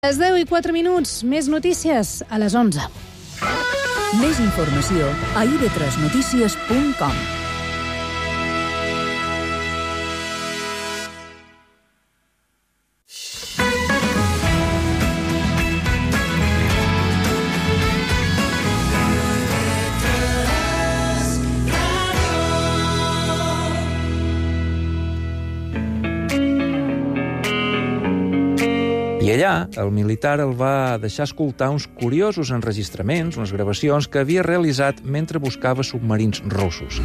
Les 10:04, més notícies a les 11. Més informació a ib3notícies.com. I allà, el militar el va deixar escoltar uns curiosos enregistraments, unes gravacions que havia realitzat mentre buscava submarins russos.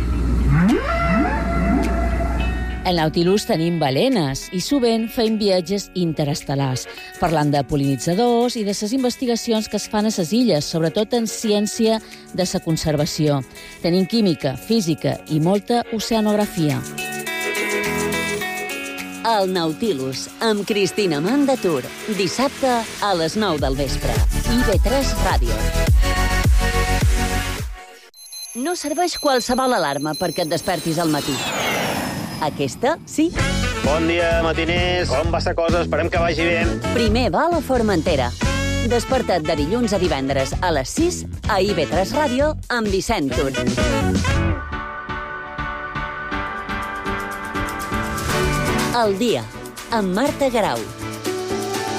Al Nautilus tenim balenes i sovint fem viatges interestel·lars, parlant de pol·linitzadors i de les investigacions que es fan a les illes, sobretot en ciència de la conservació. Tenim química, física i molta oceanografia. El Nautilus, amb Cristina Mandatur. Dissabte a les 9 del vespre. IB3 Ràdio. No serveix qualsevol alarma perquè et despertis al matí. Aquesta, sí. Bon dia, matiners. Com va la cosa? Esperem que vagi bé. Primer va a la Formentera. Desperta't de dilluns a divendres a les 6 a IB3 Ràdio amb Vicent Tur. El dia, amb Marta Garau.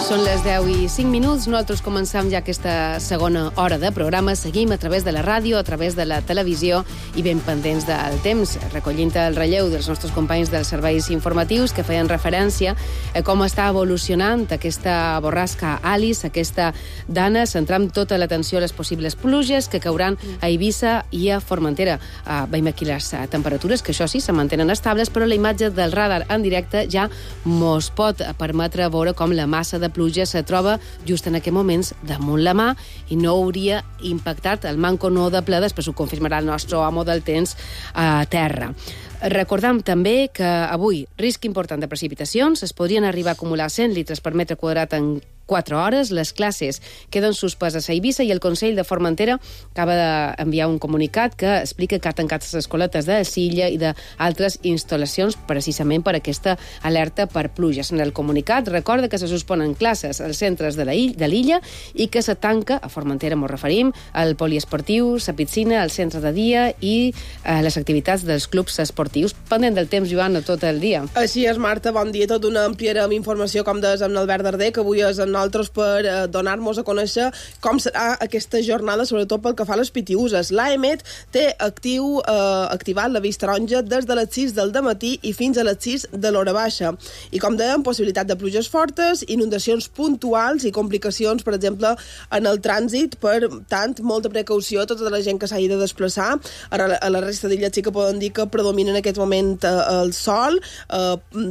Són les 10:05. Nosaltres començam ja aquesta segona hora de programa. Seguim a través de la ràdio, a través de la televisió i ben pendents del temps, recollint el relleu dels nostres companys dels serveis informatius que feien referència a com està evolucionant aquesta borrasca Alice, aquesta dana, centrant tota l'atenció a les possibles pluges que cauran a Eivissa i a Formentera. Veiem aquí les temperatures, que això sí, se mantenen estables, però la imatge del radar en directe ja mos pot permetre veure com la massa de pluja se troba just en aquests moments damunt la mà i no hauria impactat el manco no de ple, després ho confirmarà el nostre home del temps a terra. Recordam també que avui risc important de precipitacions, es podrien arribar a acumular 100 litres per metre quadrat en 4 hores, les classes queden suspeses a Eivissa i el Consell de Formentera acaba d'enviar un comunicat que explica que ha tancat les escoletes de Silla i d'altres instal·lacions precisament per aquesta alerta per pluges. En el comunicat recorda que se susponen classes als centres de l'illa i que se tanca, a Formentera m'ho referim, el poliesportiu, la piscina, el centre de dia i les activitats dels clubs esportius. Pendent del temps, Joan, tot el dia. Així és, Marta, bon dia. Tot una ampliarem informació, com deies, amb l'Albert Darder, que avui és amb nosaltres per donar-nos a conèixer com serà aquesta jornada, sobretot pel que fa a les pitiuses. L'AEMET té activat l'avís taronja des de les 6 del dematí i fins a les 6 de l'hora baixa. I com dèiem, possibilitat de pluges fortes, inundacions puntuals i complicacions, per exemple, en el trànsit. Per tant, molta precaució a tota la gent que s'hagi de desplaçar. A la resta d'illes sí que poden dir que predomina en aquest moment el sol,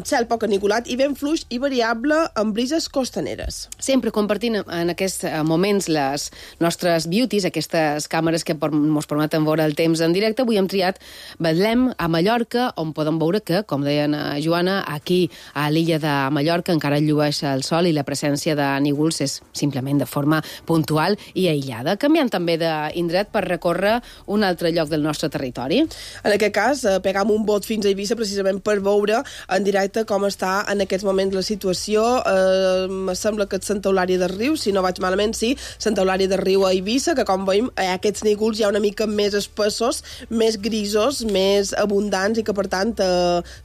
cel poc aniculat i vent fluix i variable amb brises costaneres. Sempre compartint en aquests moments les nostres beauties, aquestes càmeres que ens permeten veure el temps en directe. Avui hem triat Betlem a Mallorca, on podem veure que, com deien Joana, aquí a l'illa de Mallorca encara llueix el sol i la presència de nígols és simplement de forma puntual i aïllada. Canviant també d'indret per recórrer un altre lloc del nostre territori. En aquest cas, pegam un bot fins a Eivissa precisament per veure en directe com està en aquests moments la situació. Sembla que és Santa Eulària del Riu, si no vaig malament, sí, Santa Eulària del Riu a Eivissa, que com veiem aquests nígols ja una mica més espessos, més grisos, més abundants i que per tant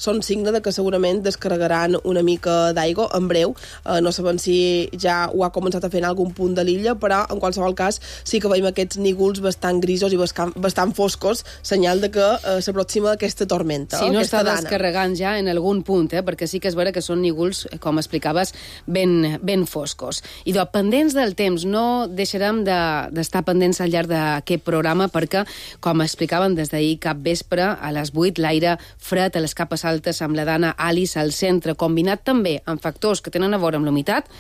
són signe de que segurament descarregaran una mica d'aigua en breu. No sabem si ja ho ha començat a fer en algun punt de l'illa, però en qualsevol cas sí que veiem aquests nígols bastant grisos i bastant foscos, senyal de que s'aproxima aquesta tormenta. Si no està descarregant ja en algun punt, perquè sí que és vera que són nígols, com explicaves, ben foscos. I pendents del temps, no deixarem d'estar pendents al llarg d'aquest programa perquè, com explicaven des d'ahir cap vespre, a les 8, l'aire fred a les capes altes amb la dana Alice al centre, combinat també amb factors que tenen a veure amb l'humitat,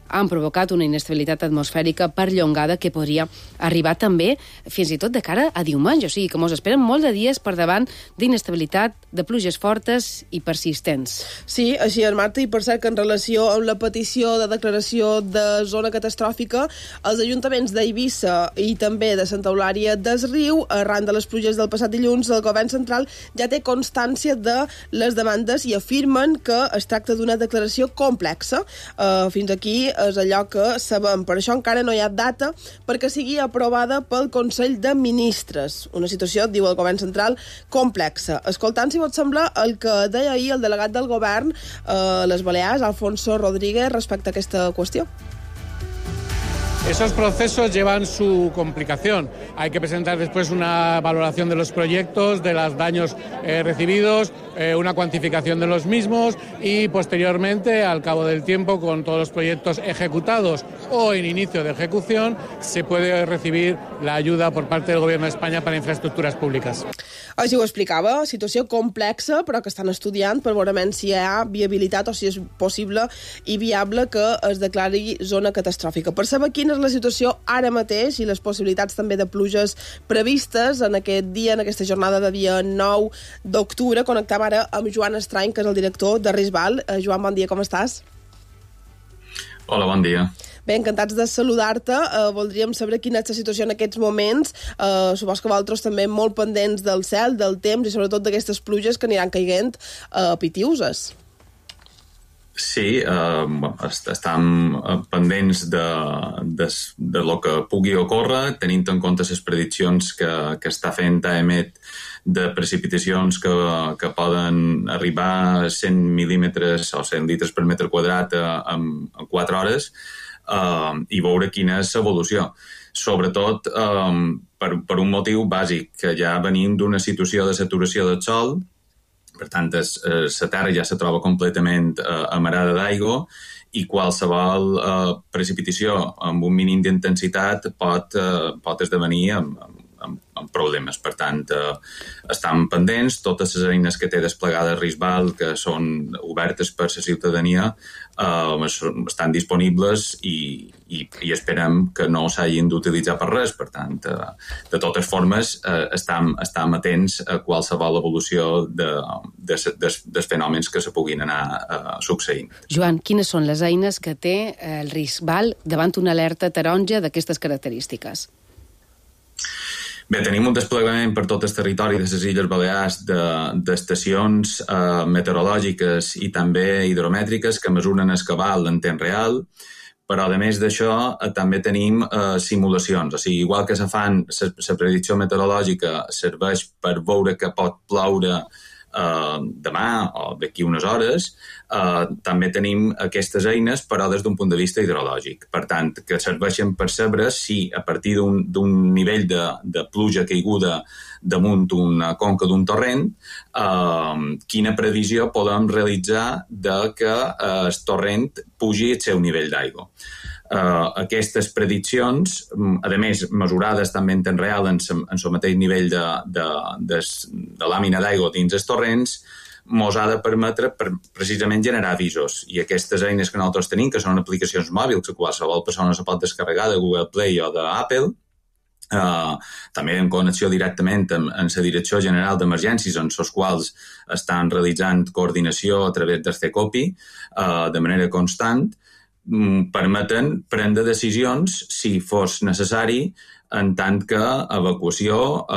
han provocat una inestabilitat atmosfèrica perllongada que podria arribar també fins i tot de cara a diumenge. O sigui que ens esperen molt de dies per davant d'inestabilitat, de pluges fortes i persistents. Sí, així és, Marta, i per cert que en relació amb la petició de declaració de zona catastròfica, els ajuntaments d'Eivissa i també de Santa Eulària des Riu, arran de les pluges del passat dilluns, el govern central ja té constància de les demandes i afirmen que es tracta d'una declaració complexa. Fins aquí és allò que sabem. Per això encara no hi ha data perquè sigui aprovada pel Consell de Ministres. Una situació, diu el govern central, complexa. Escoltant, si vos sembla, el que deia ahir el delegat del govern a les Balears, Alfonso Rodríguez, respecte a aquesta qüestió. Esos procesos llevan su complicación. Hay que presentar después una valoración de los proyectos, de los daños recibidos, una cuantificación de los mismos y posteriormente, al cabo del tiempo, con todos los proyectos ejecutados o en inicio de ejecución, se puede recibir la ayuda por parte del Gobierno de España para infraestructuras públicas. Així ho explicava, situació complexa, però que estan estudiant per veure si hi ha viabilitat o si és possible i viable que es declari zona catastròfica. Per saber quina és la situació ara mateix i les possibilitats també de pluges previstes en aquest dia, en aquesta jornada de dia 9 d'octubre, connectem ara amb Joan Estrany, que és el director de Risbal. Joan, bon dia, com estàs? Hola, bon dia. Bé, encantats de saludar-te. Voldríem saber quina és la situació en aquests moments. Supos que vosaltres també molt pendents del cel, del temps i sobretot d'aquestes pluges que aniran caiguent pitiuses. Sí, estem pendents de lo que pugui ocórrer, tenint en compte les prediccions que està fent AEMET de precipitacions que poden arribar a 100 mil·límetres o 100 litres per metre quadrat en 4 hores, i veure quina és l'evolució. Sobretot per un motiu bàsic, que ja venim d'una situació de saturació del sol, per tant, la terra ja se troba completament amarada d'aigua i qualsevol precipitació amb un mínim d'intensitat pot esdevenir amb problemes. Per tant, estan pendents, totes les eines que té desplegades Risbal, que són obertes per la ciutadania, estan disponibles i esperem que no s'hagin d'utilitzar per res. Per tant, de totes formes, estem atents a qualsevol evolució dels fenòmens que se puguin anar succeint. Joan, quines són les eines que té el Risbal davant una alerta taronja d'aquestes característiques? Bé, tenim un desplegament per tot el territori de les Illes Balears d'estacions meteorològiques i també hidromètriques que mesuren el cabal en temps real, però a més d'això també tenim simulacions. O sigui, igual que se fan, la predicció meteorològica serveix per veure que pot ploure demà o d'aquí unes hores, també tenim aquestes eines, però des d'un punt de vista hidrològic. Per tant, que serveixen per saber si a partir d'un nivell de pluja caiguda damunt una conca d'un torrent, quina previsió podem realitzar de que el torrent pugi el seu nivell d'aigua. Aquestes prediccions, a més mesurades també en temps real en el mateix nivell de làmina d'aigua dins els torrents, mos ha de permetre precisament generar avisos. I aquestes eines que nosaltres tenim, que són aplicacions mòbils, que qualsevol persona se pot descarregar de Google Play o d'Apple, també en connexió directament amb la Direcció General d'Emergències, en els quals estan realitzant coordinació a través del CECOPI de manera constant, permeten prendre decisions si fos necessari en tant que evacuació,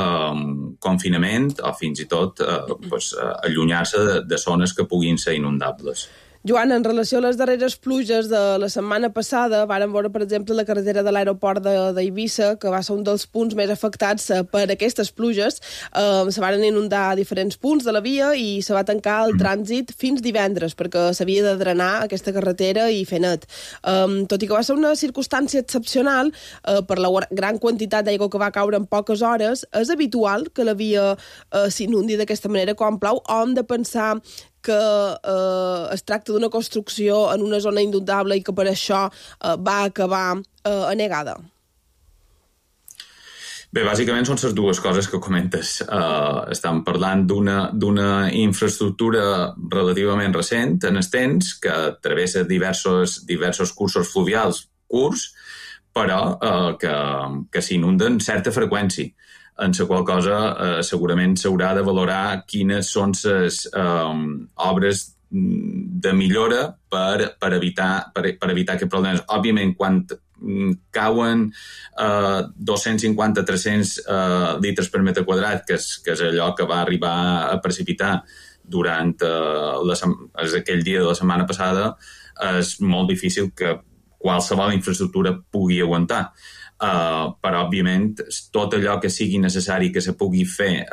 confinament o fins i tot allunyar-se de zones que puguin ser inundables. Joan, en relació a les darreres pluges de la setmana passada, vàrem veure, per exemple, la carretera de l'aeroport d'Eivissa, que va ser un dels punts més afectats per aquestes pluges. Se van inundar diferents punts de la via i se va tancar el trànsit fins divendres, perquè s'havia de drenar aquesta carretera i fer net. Tot i que va ser una circumstància excepcional, per la gran quantitat d'aigua que va caure en poques hores, és habitual que la via s'inundi d'aquesta manera quan plou, o hem de pensar que es tracta d'una construcció en una zona inundable i que per això va acabar anegada? Bé, bàsicament són les dues coses que comentes. Estem parlant d'una infraestructura relativament recent en el temps, que travessa diversos cursos fluvials curts, però que s'inunden certa freqüència, en la qual cosa segurament s'haurà de valorar quines són les obres de millora per evitar aquests problemes. Òbviament, quan cauen 250-300 litres per metre quadrat, que és allò que va arribar a precipitar durant aquell dia de la setmana passada, és molt difícil que qualsevol infraestructura pugui aguantar. Però, òbviament, tot allò que sigui necessari que se pugui fer,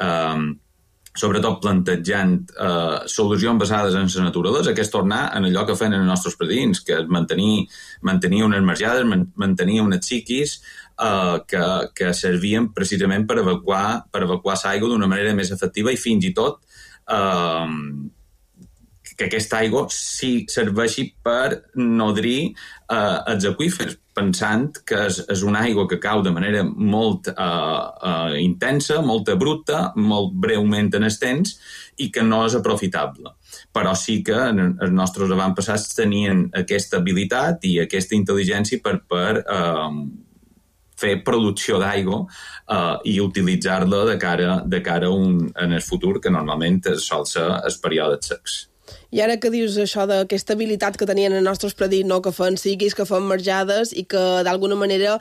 sobretot plantejant solucions basades en la naturalesa, que és tornar en allò que feien els nostres predins, que és mantenir unes marjades, mantenir unes xiquis que servien precisament per evacuar l'aigua d'una manera més efectiva i fins i tot que aquesta aigua sí serveixi per nodrir els aqüífers, pensant que és una aigua que cau de manera molt intensa, molt abrupta, molt breument en el temps i que no és aprofitable. Però sí que els nostres avantpassats tenien aquesta habilitat i aquesta intel·ligència per fer producció d'aigua i utilitzar-la de cara en el futur, que normalment sol ser els períodes secs. I ara que dius això d'aquesta habilitat que tenien els nostres predits, no? Que fan siguis, que fan marjades i que d'alguna manera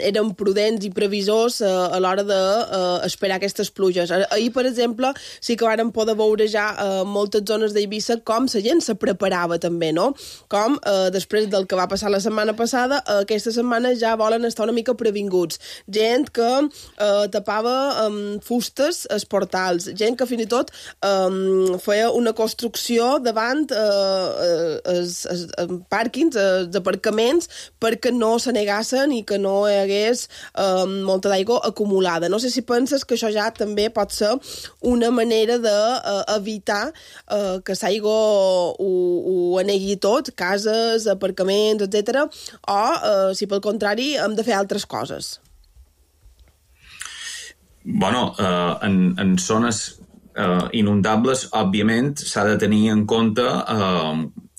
eren prudents i previsors a l'hora d'esperar aquestes pluges. Ahir, per exemple, sí que vàrem poder veure ja moltes zones d'Eivissa com la gent se preparava també, no? Com després del que va passar la setmana passada, aquesta setmana ja volen estar una mica previnguts. Gent que tapava fustes als portals, gent que fins i tot feia una construcció davant els pàrquings, els aparcaments, perquè no se negassen i que no hi hagués molta d'aigua acumulada. No sé si penses que això ja també pot ser una manera d'evitar que l'aigua ho anegui tot, cases, aparcaments, etc. O, si pel contrari, hem de fer altres coses. Bueno, en zones inundables, òbviament, s'ha de tenir en compte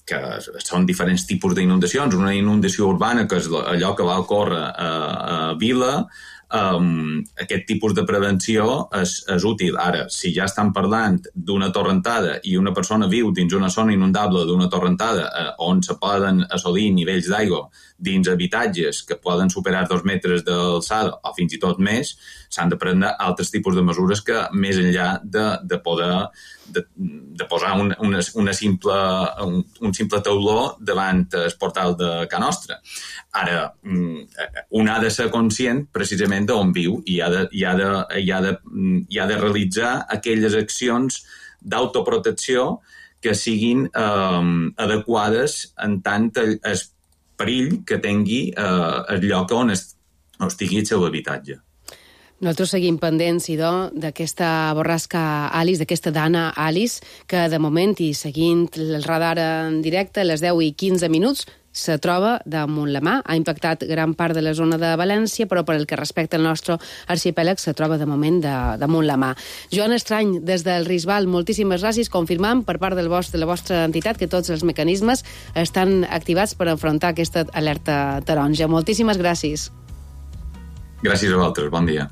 que són diferents tipus d'inundacions. Una inundació urbana, que és allò que va ocórrer a Vila, aquest tipus de prevenció és útil. Ara, si ja estan parlant d'una torrentada i una persona viu dins una zona inundable d'una torrentada on se poden assolir nivells d'aigua dins habitatges que poden superar 2 metres d'alçada o fins i tot més, s'han de prendre altres tipus de mesures que, més enllà de poder posar un simple tauló davant el portal de Ca Nostra. Ara, un ha de ser conscient precisament d'on viu i ha de realitzar aquelles accions d'autoprotecció que siguin adequades en tant el perill que tingui el lloc on estigui el seu habitatge. Nosaltres seguim pendents, idò, d'aquesta borrasca Alice, d'aquesta Dana Alice, que de moment, i seguint el radar en directe, a les 10 i 15 minuts, se troba damunt la mà. Ha impactat gran part de la zona de València, però per el que respecta al nostre arxipèlag se troba de moment damunt la mà. Joan Estrany, des del Risbal, moltíssimes gràcies. Confirmam per part de la vostra entitat que tots els mecanismes estan activats per enfrontar aquesta alerta taronja. Moltíssimes gràcies. Gràcies a vosaltres. Bon dia.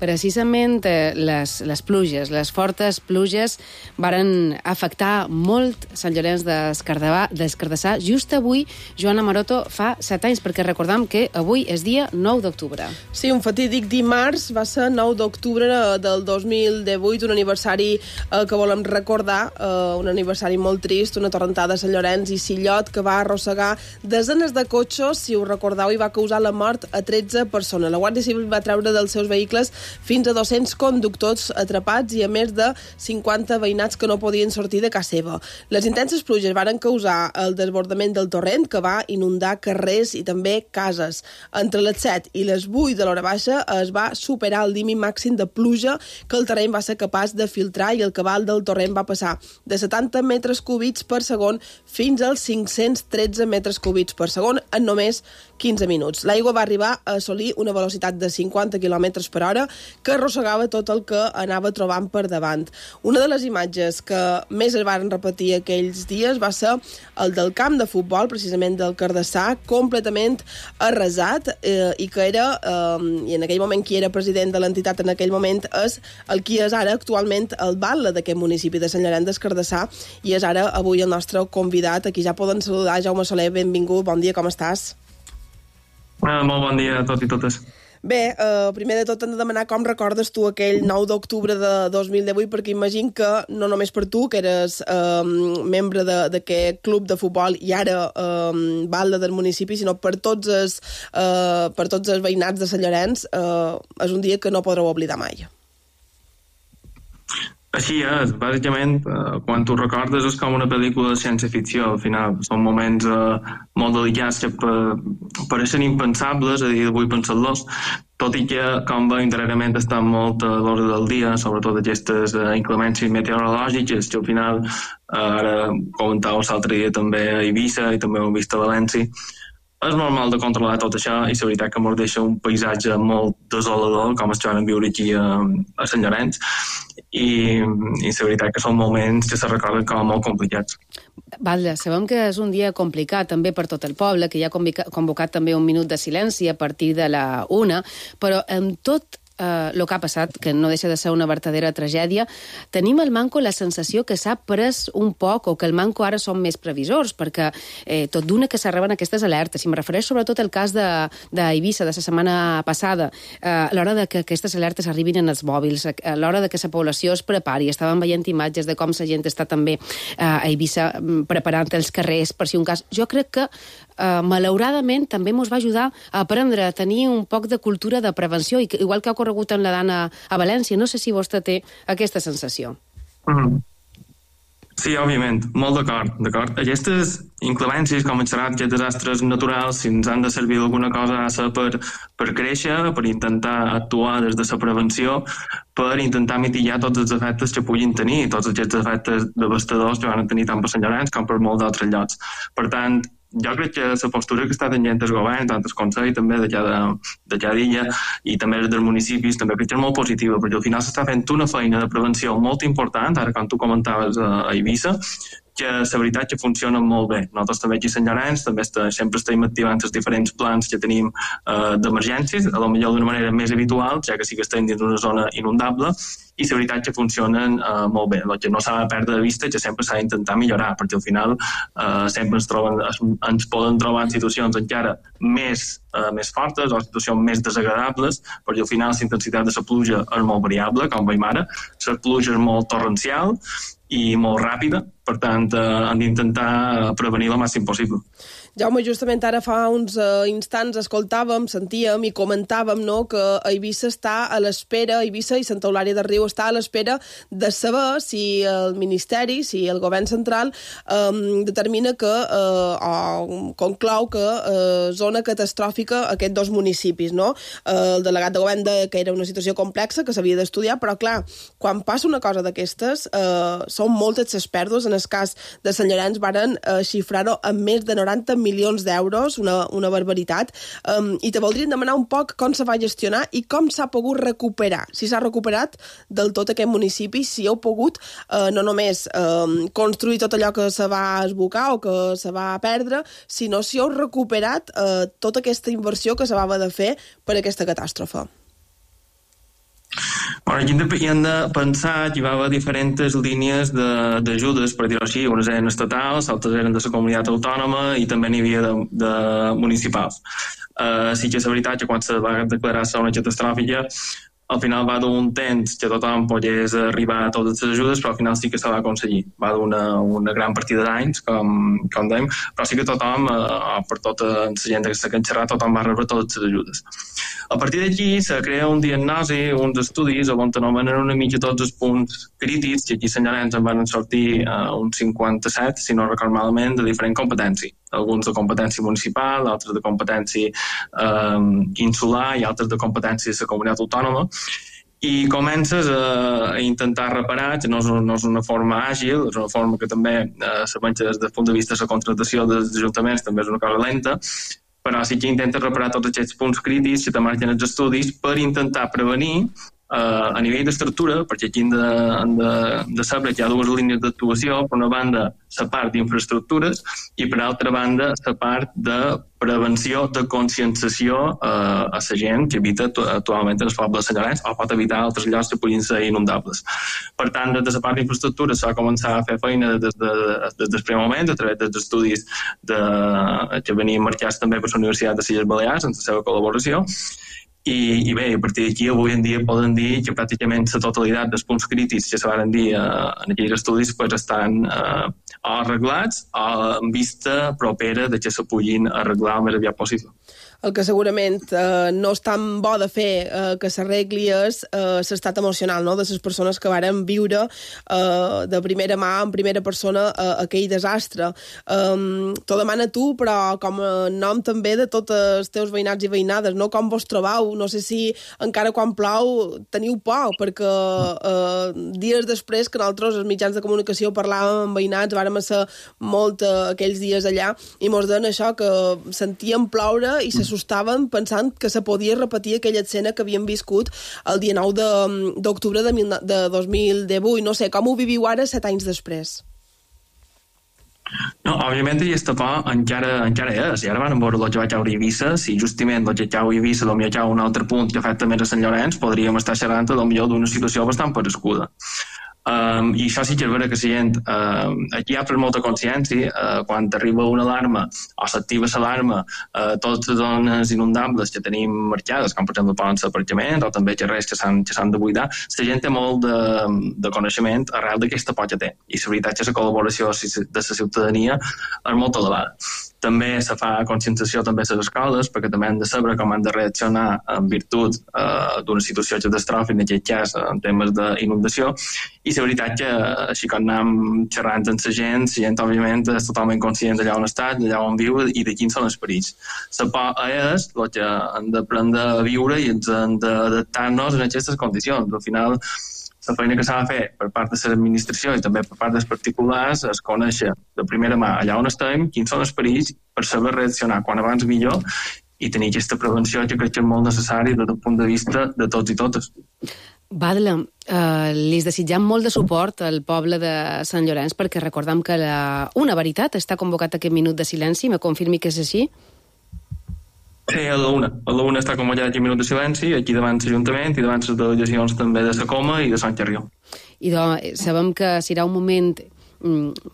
Precisament les pluges, les fortes pluges varen afectar molt Sant Llorenç des Cardassar. Just avui, Joana Maroto, fa 7 anys, perquè recordam que avui és dia 9 d'octubre. Sí, un fatídic dimarts, va ser 9 d'octubre del 2018, un aniversari que volem recordar, un aniversari molt trist, una torrentada a Sant Llorenç i Sillot que va arrossegar desenes de cotxes, si ho recordeu, i va causar la mort a 13 persones. La Guàrdia Civil va treure dels seus vehicles fins a 200 conductors atrapats i a més de 50 veïnats que no podien sortir de casa seva. Les intenses pluges varen causar el desbordament del torrent que va inundar carrers i també cases. Entre les 7 i les 8 de l'hora baixa es va superar el límit màxim de pluja que el terreny va ser capaç de filtrar i el cabal del torrent va passar de 70 metres cúbics per segon fins als 513 metres cúbics per segon en només 15 minuts. L'aigua va arribar a assolir una velocitat de 50 km per hora que arrossegava tot el que anava trobant per davant. Una de les imatges que més es van repetir aquells dies va ser el del camp de futbol, precisament del Cardassar, completament arrasat i que era, i en aquell moment qui era president de l'entitat en aquell moment és el qui és ara actualment el batlle d'aquest municipi de Sant Llorenç des Cardassar i és ara avui el nostre convidat. Aquí ja poden saludar. Jaume Soler, benvingut, bon dia, com estàs? Molt bon dia a tots i totes. Bé, primer de tot hem de demanar com recordes tu aquell 9 d'octubre de 2018, perquè imagino que no només per tu, que eres membre d'aquest club de futbol i ara balda del municipi, sinó per tots els veïnats de Sant Llorenç, és un dia que no podreu oblidar mai. Així és, bàsicament, quan tu recordes és com una pel·lícula de ciència-ficció, al final. Són moments molt delicats que pareixen impensables, a dia d'avui pensar-los, tot i que, com veiem, darrerament estan molt a l'hora del dia, sobretot aquestes inclemències meteorològiques, que al final, ara comentàveu l'altre dia també a Eivissa i també ho hem vist a València. És normal de controlar tot això i la veritat que ens deixa un paisatge molt desolador, com es troben viure aquí a Sant Llorenç, i la veritat que són moments que se recorden com molt complicats. Valda, sabem que és un dia complicat també per tot el poble, que ja ha convocat també un minut de silenci a partir de la 1, però amb tot el que ha passat, que no deixa de ser una verdadera tragèdia, tenim al Manco la sensació que s'ha pres un poc o que el Manco ara són més previsors, perquè tot d'una que s'arriben aquestes alertes, i em refereix sobretot al cas d'Eivissa de la setmana passada, a l'hora de que aquestes alertes arribin en els mòbils, a l'hora de que la població es prepari. Estàvem veient imatges de com la gent està també a Eivissa preparant els carrers per si un cas. Jo crec que malauradament també ens va ajudar a aprendre a tenir un poc de cultura de prevenció, i igual que ha ocorregut en la Dana a València. No sé si vostè té aquesta sensació. Sí, òbviament, molt d'acord. Aquestes inclemències, com han xerrat, aquests desastres naturals, si ens han de servir d'alguna cosa, ha de ser per créixer, per intentar actuar des de la prevenció, per intentar mitigar tots els efectes que puguin tenir, tots aquests efectes devastadors que van tenir tant per Sant Llorenç com per molts d'altres llocs. Per tant, jo crec que la postura que està tenint el govern, tant el Consell també de cada illa i també dels municipis, també crec que és molt positiva, perquè al final s'està fent una feina de prevenció molt important, ara quan tu comentaves a Eivissa, que la veritat que funcionen molt bé. Nosaltres també aquí a Sant Llorenç també sempre estem activant els diferents plans que tenim d'emergències, a lo millor d'una manera més habitual, ja que sí que estem dins d'una zona inundable, i la veritat que funcionen molt bé. El que no s'ha de perdre de vista és que sempre s'ha d'intentar millorar, perquè al final sempre ens poden trobar en situacions encara més fortes o situacions més desagradables, perquè al final la intensitat de la pluja és molt variable, com veiem ara. La pluja és molt torrencial i molt ràpida, per tant, hem d'intentar prevenir el màxim possible. Jaume, justament ara fa uns instants escoltàvem, sentíem i comentàvem que Eivissa està a l'espera, Eivissa i Santa Eulària de Riu està a l'espera de saber si el Ministeri, si el govern central determina que o conclou que zona catastròfica aquests dos municipis, no? El delegat de govern deia que era una situació complexa, que s'havia d'estudiar, però clar, quan passa una cosa d'aquestes, són moltes les pèrdues. En el cas de Sant Llorenç varen xifrar-ho en més de 90 milions d'euros, una barbaritat, i te voldrien demanar un poc com se va gestionar i com s'ha pogut recuperar, si s'ha recuperat del tot aquest municipi, si heu pogut no només construir tot allò que se va esbocar o que se va perdre, sinó si heu recuperat tota aquesta inversió que se va haver de fer per aquesta catàstrofe. Aquí hem de pensar que hi va haver diferents línies d'ajudes, per dir-ho així. Unes eren estatals, altres eren de la comunitat autònoma i també n'hi havia de municipals. Sí que és veritat que quan se va declarar zona catastròfica, al final va dur un temps que tothom pogués arribar a totes les ajudes, però al final sí que se va aconseguir. Va dur una gran partida d'anys, com dèiem, però sí que tothom, per tota la gent que s'ha xerrat, tothom va rebre totes les ajudes. A partir d'aquí se crea un diagnosi, uns estudis on anomenen una mica tots els punts crítics, que aquí a Sant Llorenç en van sortir uns 57, si no recordo malament, de diferent competència. Alguns de competència municipal, altres de competència insular i altres de competència de la comunitat autònoma. I comences a intentar reparar, que no és una forma àgil, és una forma que també des del punt de vista de la contractació dels ajuntaments també és una cosa lenta, però sí que intentes reparar tots aquests punts crítics que te marquen els estudis per intentar prevenir a nivell d'estructura, perquè aquí hem de saber que hi ha dues línies d'actuació, per una banda la part d'infraestructures i per altra banda la part de prevenció, de conscienciació a la gent que habita actualment en el poble de Sant Llorenç o pot habitar altres llocs que puguin ser inundables. Per tant, des de la part d'infraestructures s'ha començat a fer feina des del primer moment, a través dels estudis que venien marcats també per la Universitat de les Illes Balears, en la seva col·laboració, I bé, a partir d'aquí avui en dia poden dir que pràcticament la totalitat dels punts crítics que se van dir en aquells estudis pues, estan arreglats en vista propera de que se puguin arreglar el més aviat possible. El que segurament no és tan bo de fer que s'arregli és l'estat emocional, no?, de les persones que varen viure de primera mà, en primera persona, aquell desastre. T'ho demana tu, però com a nom també de tots els teus veïnats i veïnades, no? Com vos trobeu? No sé si encara quan plou teniu por, perquè dies després que nosaltres, els mitjans de comunicació, parlàvem amb veïnats, vàrem ser molt aquells dies allà, i mos deien això, que sentíem ploure i s'assustaven pensant que se podia repetir aquella escena que havien viscut el dia 9 d'octubre de 2018. No sé, com ho viviu ara 7 anys després? No, òbviament aquesta por encara és. I ara van veure el que va caure a Eivissa. Si justament el que cau a Eivissa potser cau un altre punt que afecta més a Sant Llorenç, podríem estar xerrant potser d'una situació bastant parescuda. I això sí que és vera que la gent aquí hi ha molta consciència quan arriba una alarma o s'activa l'alarma totes les zones inundables que tenim marcades, com per exemple poden ser aparcaments o també carrers que s'han de buidar, la gent té molt de coneixement arrel d'aquesta por que té, i la veritat és que la col·laboració de la ciutadania és molt elevada. També se fa conscienciació també a les escoles, perquè també han de saber com han de reaccionar en virtut d'una situació catastròfica, en aquest cas en temes d'inundació, i la veritat que així com anem xerrant amb la gent òbviament és totalment conscient d'allà on està, d'allà on viu i de quins són els perills. La por és el que hem d'aprendre a viure i ens hem d'adaptar-nos en aquestes condicions. Al final, la feina que s'ha de fer per part de l'administració i també per part dels particulars és conèixer de primera mà allà on estem, quins són els perills, per saber reaccionar quan abans millor i tenir aquesta prevenció que crec que és molt necessari des del punt de vista de tots i totes. Badla, li desitjam molt de suport al poble de Sant Llorenç, perquè recordem que Una Veritat està convocat aquest minut de silenci. Me confirmi que és així? Sí, a la una està convocat aquest minut de silenci, aquí davant l'Ajuntament i davant les delegacions també de la Coma i de Sant Carrió. I sabem que serà un moment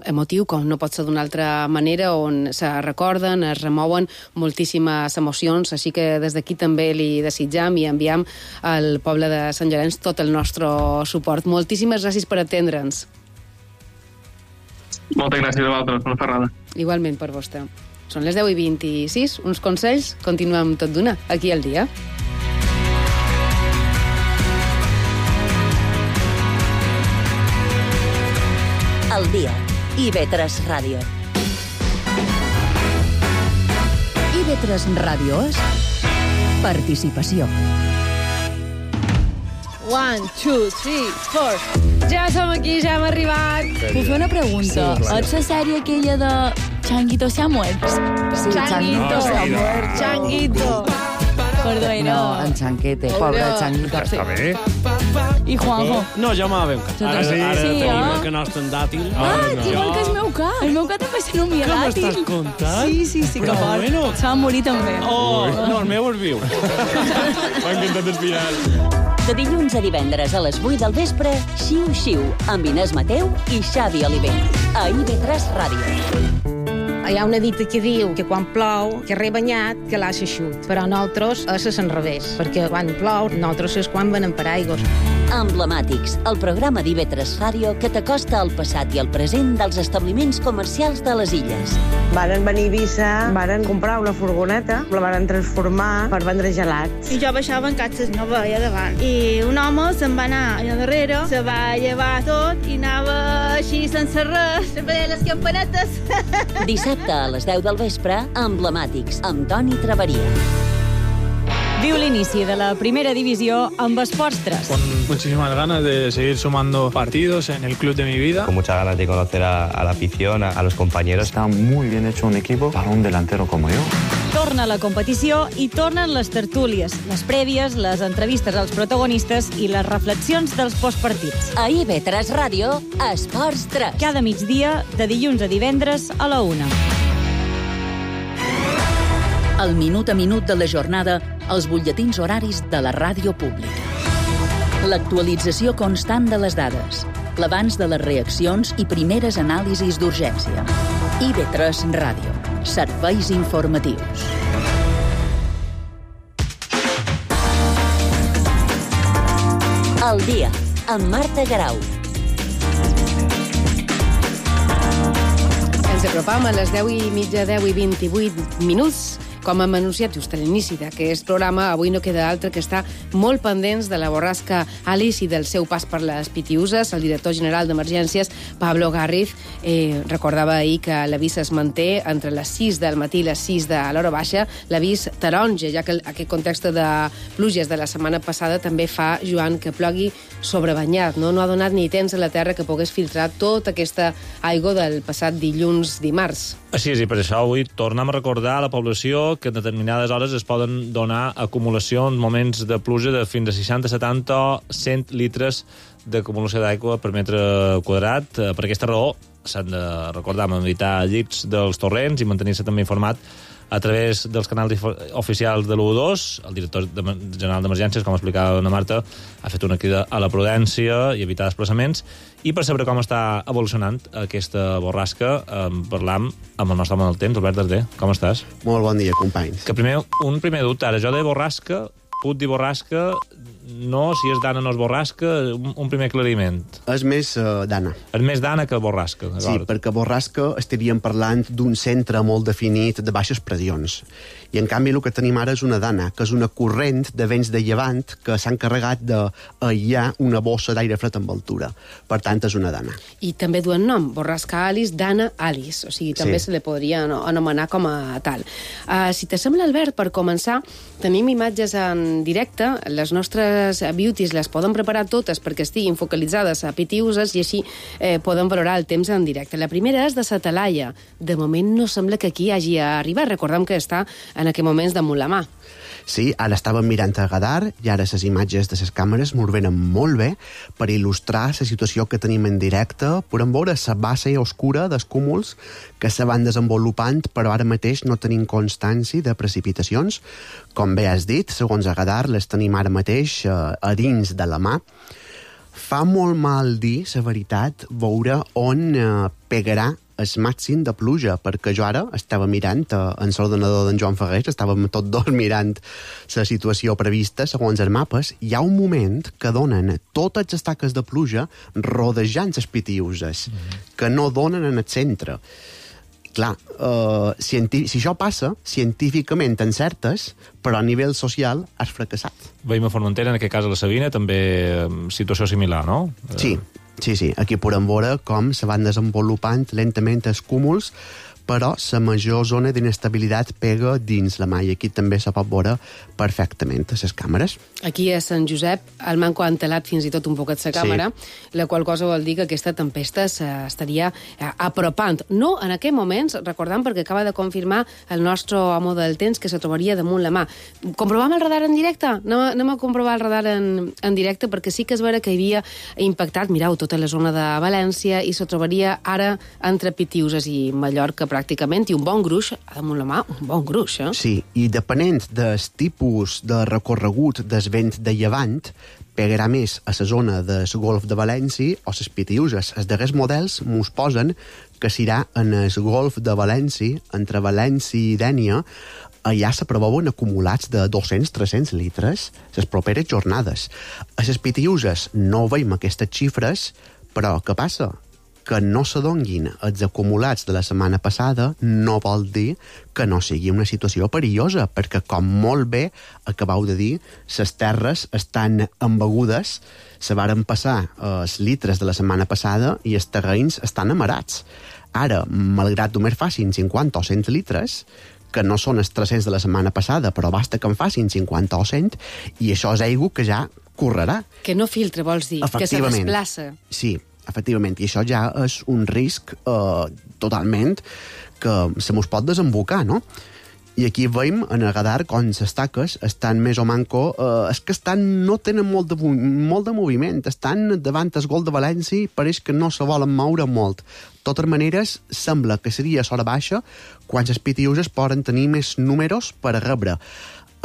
emotiu, com no pot ser d'una altra manera, on se recorden, es remouen moltíssimes emocions, així que des d'aquí també li desitjam i enviam al poble de Sant Llorenç tot el nostre suport. Moltíssimes gràcies per atendre'ns. Moltes gràcies a vosaltres, una ferrada. Igualment per vostè. Són les 10:26, uns consells, continuem tot d'una, aquí al dia. Al dia, IB3 Ràdio. IB3 Ràdio és participació. 1, 2, 3, 4. Ja som aquí, ja hem arribat. Puc fer una pregunta? És la sèrie aquella de Changuito se ha muerto? Sí, Changuito se ha muerto. Changuito. Perdó, no, en Chanquete, pobre Changuito. Està bé. I Juanjo? No, jo m'ha ben cat. Ara tenim el que nostre en dàtil. Igual que el meu cat. El meu cat també se nomia dàtil. Què m'estàs contant? Sí, que fort. Se va morir també. No, el meu és viu. M'ha encantat el final. De dilluns a divendres a les 8 del vespre, Xiu Xiu, amb Inés Mateu i Xavi Oliver. A IB3 Ràdio. Hi ha una dita que diu que quan plou, que rebanyat, que l'ha xaixut. Però nosaltres és al revés, perquè quan plou, nosaltres és quan venen paraigües. Emblemàtics, el programa d'IB3 Ràdio que t'acosta al passat i al present dels establiments comercials de les illes. Varen venir a Eivissa, varen comprar una furgoneta, la varen transformar per vendre gelats. I jo baixava en catxes, no veia davant. I un home se'n va anar allà darrere, se va llevar tot i anava així sense res, se veia les campanetes. Dissabte a les 10 del vespre, Emblemàtics, amb Toni Traveria. Viu l'inici de la primera divisió amb Esports 3. Con muchísimas ganas de seguir sumando partidos en el club de mi vida. Con muchas ganas de conocer a la afición, a los compañeros. Está muy bien hecho un equipo para un delantero como yo. Torna la competició i tornen les tertúlies, les prèvies, les entrevistes als protagonistes i les reflexions dels postpartits. A IB3 Ràdio, Esports 3. Cada migdia, de dilluns a divendres a la 1. El minut a minut de la jornada, els butlletins horaris de la ràdio pública. L'actualització constant de les dades, l'abans de les reaccions i primeres anàlisis d'urgència. IB3 Ràdio. Serveis informatius. Al dia, amb Marta Garau. Ens apropam a les 10:30, 10:28, com hem anunciat just a l'inici d'aquest programa. Avui no queda altre que estar molt pendents de la borrasca Alice i del seu pas per les Pitiüses. El director general d'Emergències, Pablo Garriz, recordava ahir que l'avís es manté entre les 6 del matí i les 6 de l'hora baixa, l'avís taronja, ja que aquest context de pluges de la setmana passada també fa, Joan, que plogui sobrebanyat. No ha donat ni temps a la terra que pogués filtrar tota aquesta aigua del passat dimarts. Així és, i per això avui tornem a recordar a la població que en determinades hores es poden donar acumulacions, moments de pluja de fins a 60, 70 o 100 litres d'acumulació d'aigua per metre quadrat. Per aquesta raó s'han de recordar evitar llits dels torrents i mantenir-se també informat a través dels canals oficials de l'112. El director general d'Emergències, com explicava la Marta, ha fet una crida a la prudència i evitar desplaçaments. I per saber com està evolucionant aquesta borrasca, parlam amb el nostre home del temps, Albert Darder. Com estàs? Molt bon dia, companys. Que un primer dubte, ara, jo de borrasca, puc dir borrasca, no, si és dana no és borrasca, un primer aclariment. És més dana. És més dana que borrasca, d'acord? Sí, perquè borrasca estaríem parlant d'un centre molt definit de baixes pressions. I, en canvi, el que tenim ara és una dana, que és una corrent de vents de llevant que s'ha encarregat d'aïllar una bossa d'aire fred amb altura. Per tant, és una dana. I també duen nom, borrasca Alice, dana Alice. O sigui, també se li podria anomenar com a tal. Si t'assembla, Albert, per començar, tenim imatges en directe. Les nostres beauties les poden preparar totes perquè estiguin focalitzades a Pitiüses i així poden valorar el temps en directe. La primera és de sa Talaia. De moment no sembla que aquí hagi arribat. Recordem que està en aquests moments damunt la mà. Sí, ara estàvem mirant a radar i ara les imatges de les càmeres m'ho venen molt bé per il·lustrar la situació que tenim en directe. Podem veure la base oscura dels cúmuls que se van desenvolupant, però ara mateix no tenim constància de precipitacions. Com bé has dit, segons a radar, les tenim ara mateix a dins de la mà. Fa molt mal dir, la veritat, veure on pegarà el màxim de pluja, perquè jo ara estava mirant en l'ordenador d'en Joan Ferrés, estàvem tots dos mirant la situació prevista segons els mapes. Hi ha un moment que donen totes les taques de pluja rodejant les Pitiüses, que no donen en el centre. Clar, si això passa, científicament encertes, però a nivell social has fracassat. Veiem a Formentera, en aquest cas a la Sabina, també situació similar, no? Sí, aquí podem veure com se van desenvolupant lentament els cúmuls, però la major zona d'inestabilitat pega dins la mà, i aquí també se pot veure perfectament a les càmeres. Aquí a Sant Josep el manco ha entelat fins i tot un poquet la càmera, la qual cosa vol dir que aquesta tempesta s'estaria apropant. No en aquests moments, recordant, perquè acaba de confirmar el nostre home del temps que se trobaria damunt la mà. Comprovam el radar en directe? Anem a comprovar el radar en directe, perquè sí que és vera que havia impactat, mireu, tota la zona de València i se trobaria ara entre Pitiüses i Mallorca pràcticament, i un bon gruix damunt la mà, un bon gruix, eh? Sí, i depenent del tipus de recorregut del vent de llevant, pegarà més a la zona del golf de València o les Pitiüses. Els darrers models mos posen que serà en el golf de València, entre València i Dénia. Allà se preveuen acumulats de 200-300 litres les properes jornades. A les Pitiüses no veiem aquestes xifres, però què passa? Que no s'adonguin els acumulats de la setmana passada no vol dir que no sigui una situació perillosa, perquè, com molt bé acabeu de dir, les terres estan embegudes, se varen passar els litres de la setmana passada i els terrenys estan amarats. Ara, malgrat només facin 50 o 100 litres, que no són els 300 de la setmana passada, però basta que en facin 50 o 100, i això és aigua que ja correrà. Que no filtra, vols dir? Que se desplaça. Sí, efectivament, i això ja és un risc totalment que se mos pot desembocar, no? I aquí veiem en el radar com les taques estan més o manco... és que no tenen molt de moviment, estan davant el gol de València i pareix que no se volen moure molt. De totes maneres, sembla que seria a l'hora baixa quan les Pitiüses poden tenir més números per a rebre.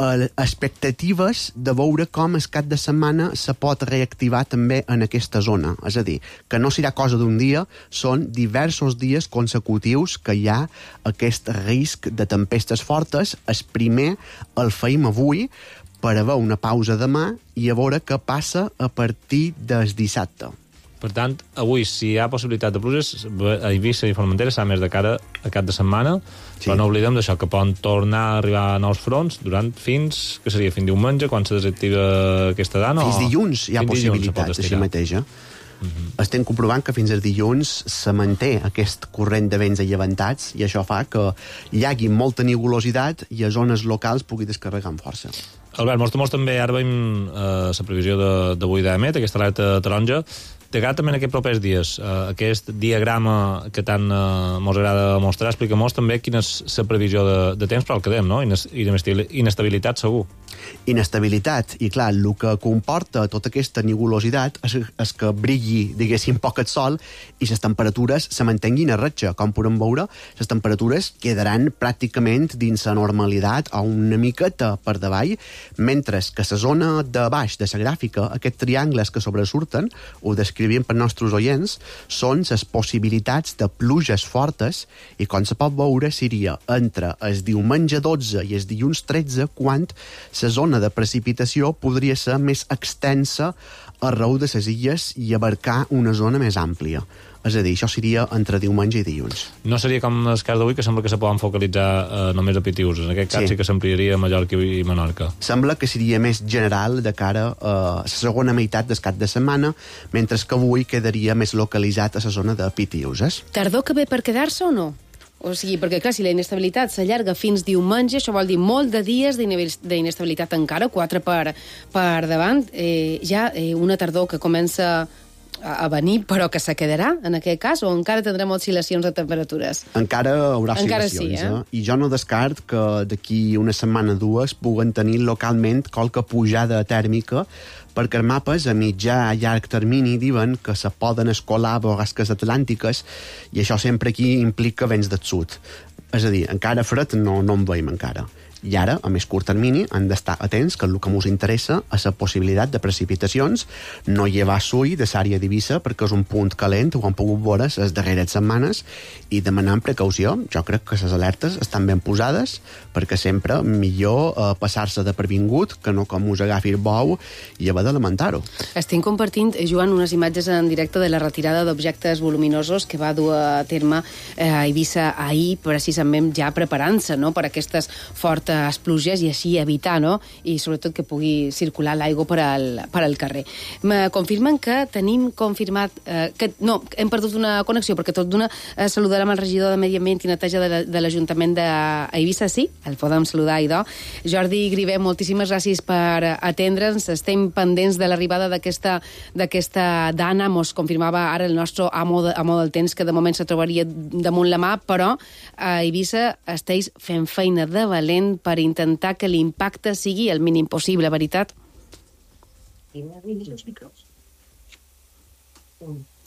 Expectatives de veure com el cap de setmana se pot reactivar també en aquesta zona. És a dir, que no serà cosa d'un dia, són diversos dies consecutius que hi ha aquest risc de tempestes fortes. El primer el feim avui, per haver una pausa demà i a veure què passa a partir del dissabte. Per tant, avui, si hi ha possibilitat de pluges, a Eivissa i Formentera serà més de cara a cap de setmana, però no oblidem d'això, que poden tornar a arribar a nous fronts durant fins diumenge, quan se desactiva aquesta dana? Fins dilluns hi ha possibilitat, així mateix, Estem comprovant que fins al dilluns se manté aquest corrent de vents allevantats i això fa que hi hagi molta nugulositat i a zones locals pugui descarregar amb força. Albert, mostra també, ara veiem la previsió d'avui d'EMET, aquesta alerta taronja. T'agrada també en aquests propers dies, aquest diagrama que tant mos agrada mostrar, explica-mos també quina és la previsió de temps per al que dem, no? Inestabilitat, segur. Inestabilitat, i clar, el que comporta tota aquesta nugulositat és que brilli, diguéssim, poc el sol i les temperatures se mantenguin a ratxa. Com podem veure, les temperatures quedaran pràcticament dins la normalitat o una miqueta per davall, mentre que la zona de baix de la gràfica, aquests triangles que sobresurten, ho descrivim per nostres oients, són les possibilitats de pluges fortes i, com se pot veure, seria entre el diumenge 12 i el dilluns 13 quan la zona de precipitació podria ser més extensa arreu de les illes i abarcar una zona més àmplia. És a dir, això seria entre diumenge i dilluns. No seria com el cas d'avui, que sembla que se poden focalitzar només a Pitius. En aquest cas sí que s'ampliaria a Mallorca i Menorca. Sembla que seria més general de cara a la segona meitat del cap de setmana, mentre que avui quedaria més localitzat a la zona de Pitius. Tardor que ve per quedar-se o no? O sigui, perquè, clar, si la inestabilitat s'allarga fins diumenge, això vol dir molt de dies d'inestabilitat encara, 4 per davant. Una tardor que comença a venir, però que se quedarà, en aquest cas, o encara tindrem oscil·lacions de temperatures? Encara haurà oscil·lacions, I jo no descart que d'aquí una setmana o dues puguen tenir localment qualque pujada tèrmica, perquè els mapes a mitjà i llarg termini diuen que se poden escolar borrasques atlàntiques i això sempre aquí implica vents del sud. És a dir, encara fred no en veiem encara. I ara, a més curt termini, han d'estar atents que el que ens interessa és la possibilitat de precipitacions, no llevar s'ull de l'àrea d'Eivissa perquè és un punt calent, ho han pogut veure les darreres setmanes, i demanant precaució. Jo crec que les alertes estan ben posades perquè sempre millor passar-se de previngut que no com us agafi el bou i haver de lamentar-ho. Estic compartint, Joan, unes imatges en directe de la retirada d'objectes voluminosos que va dur a terme a Eivissa ahir, precisament ja preparant-se, no?, per aquestes fortes pluges i així evitar, no?, i sobretot que pugui circular l'aigua per al carrer. Me confirmen que tenim confirmat hem perdut una connexió, perquè tot d'una saludarem el regidor de Medi Ambient i Neteja de l'Ajuntament d'Eivissa, sí, el podem saludar, idò. Jordi Grivé, moltíssimes gràcies per atendre'ns, estem pendents de l'arribada d'aquesta dana, mos confirmava ara el nostre amo del temps, que de moment se trobaria damunt la mà, però a Eivissa esteu fent feina de valent per intentar que l'impacte sigui el mínim possible, veritat?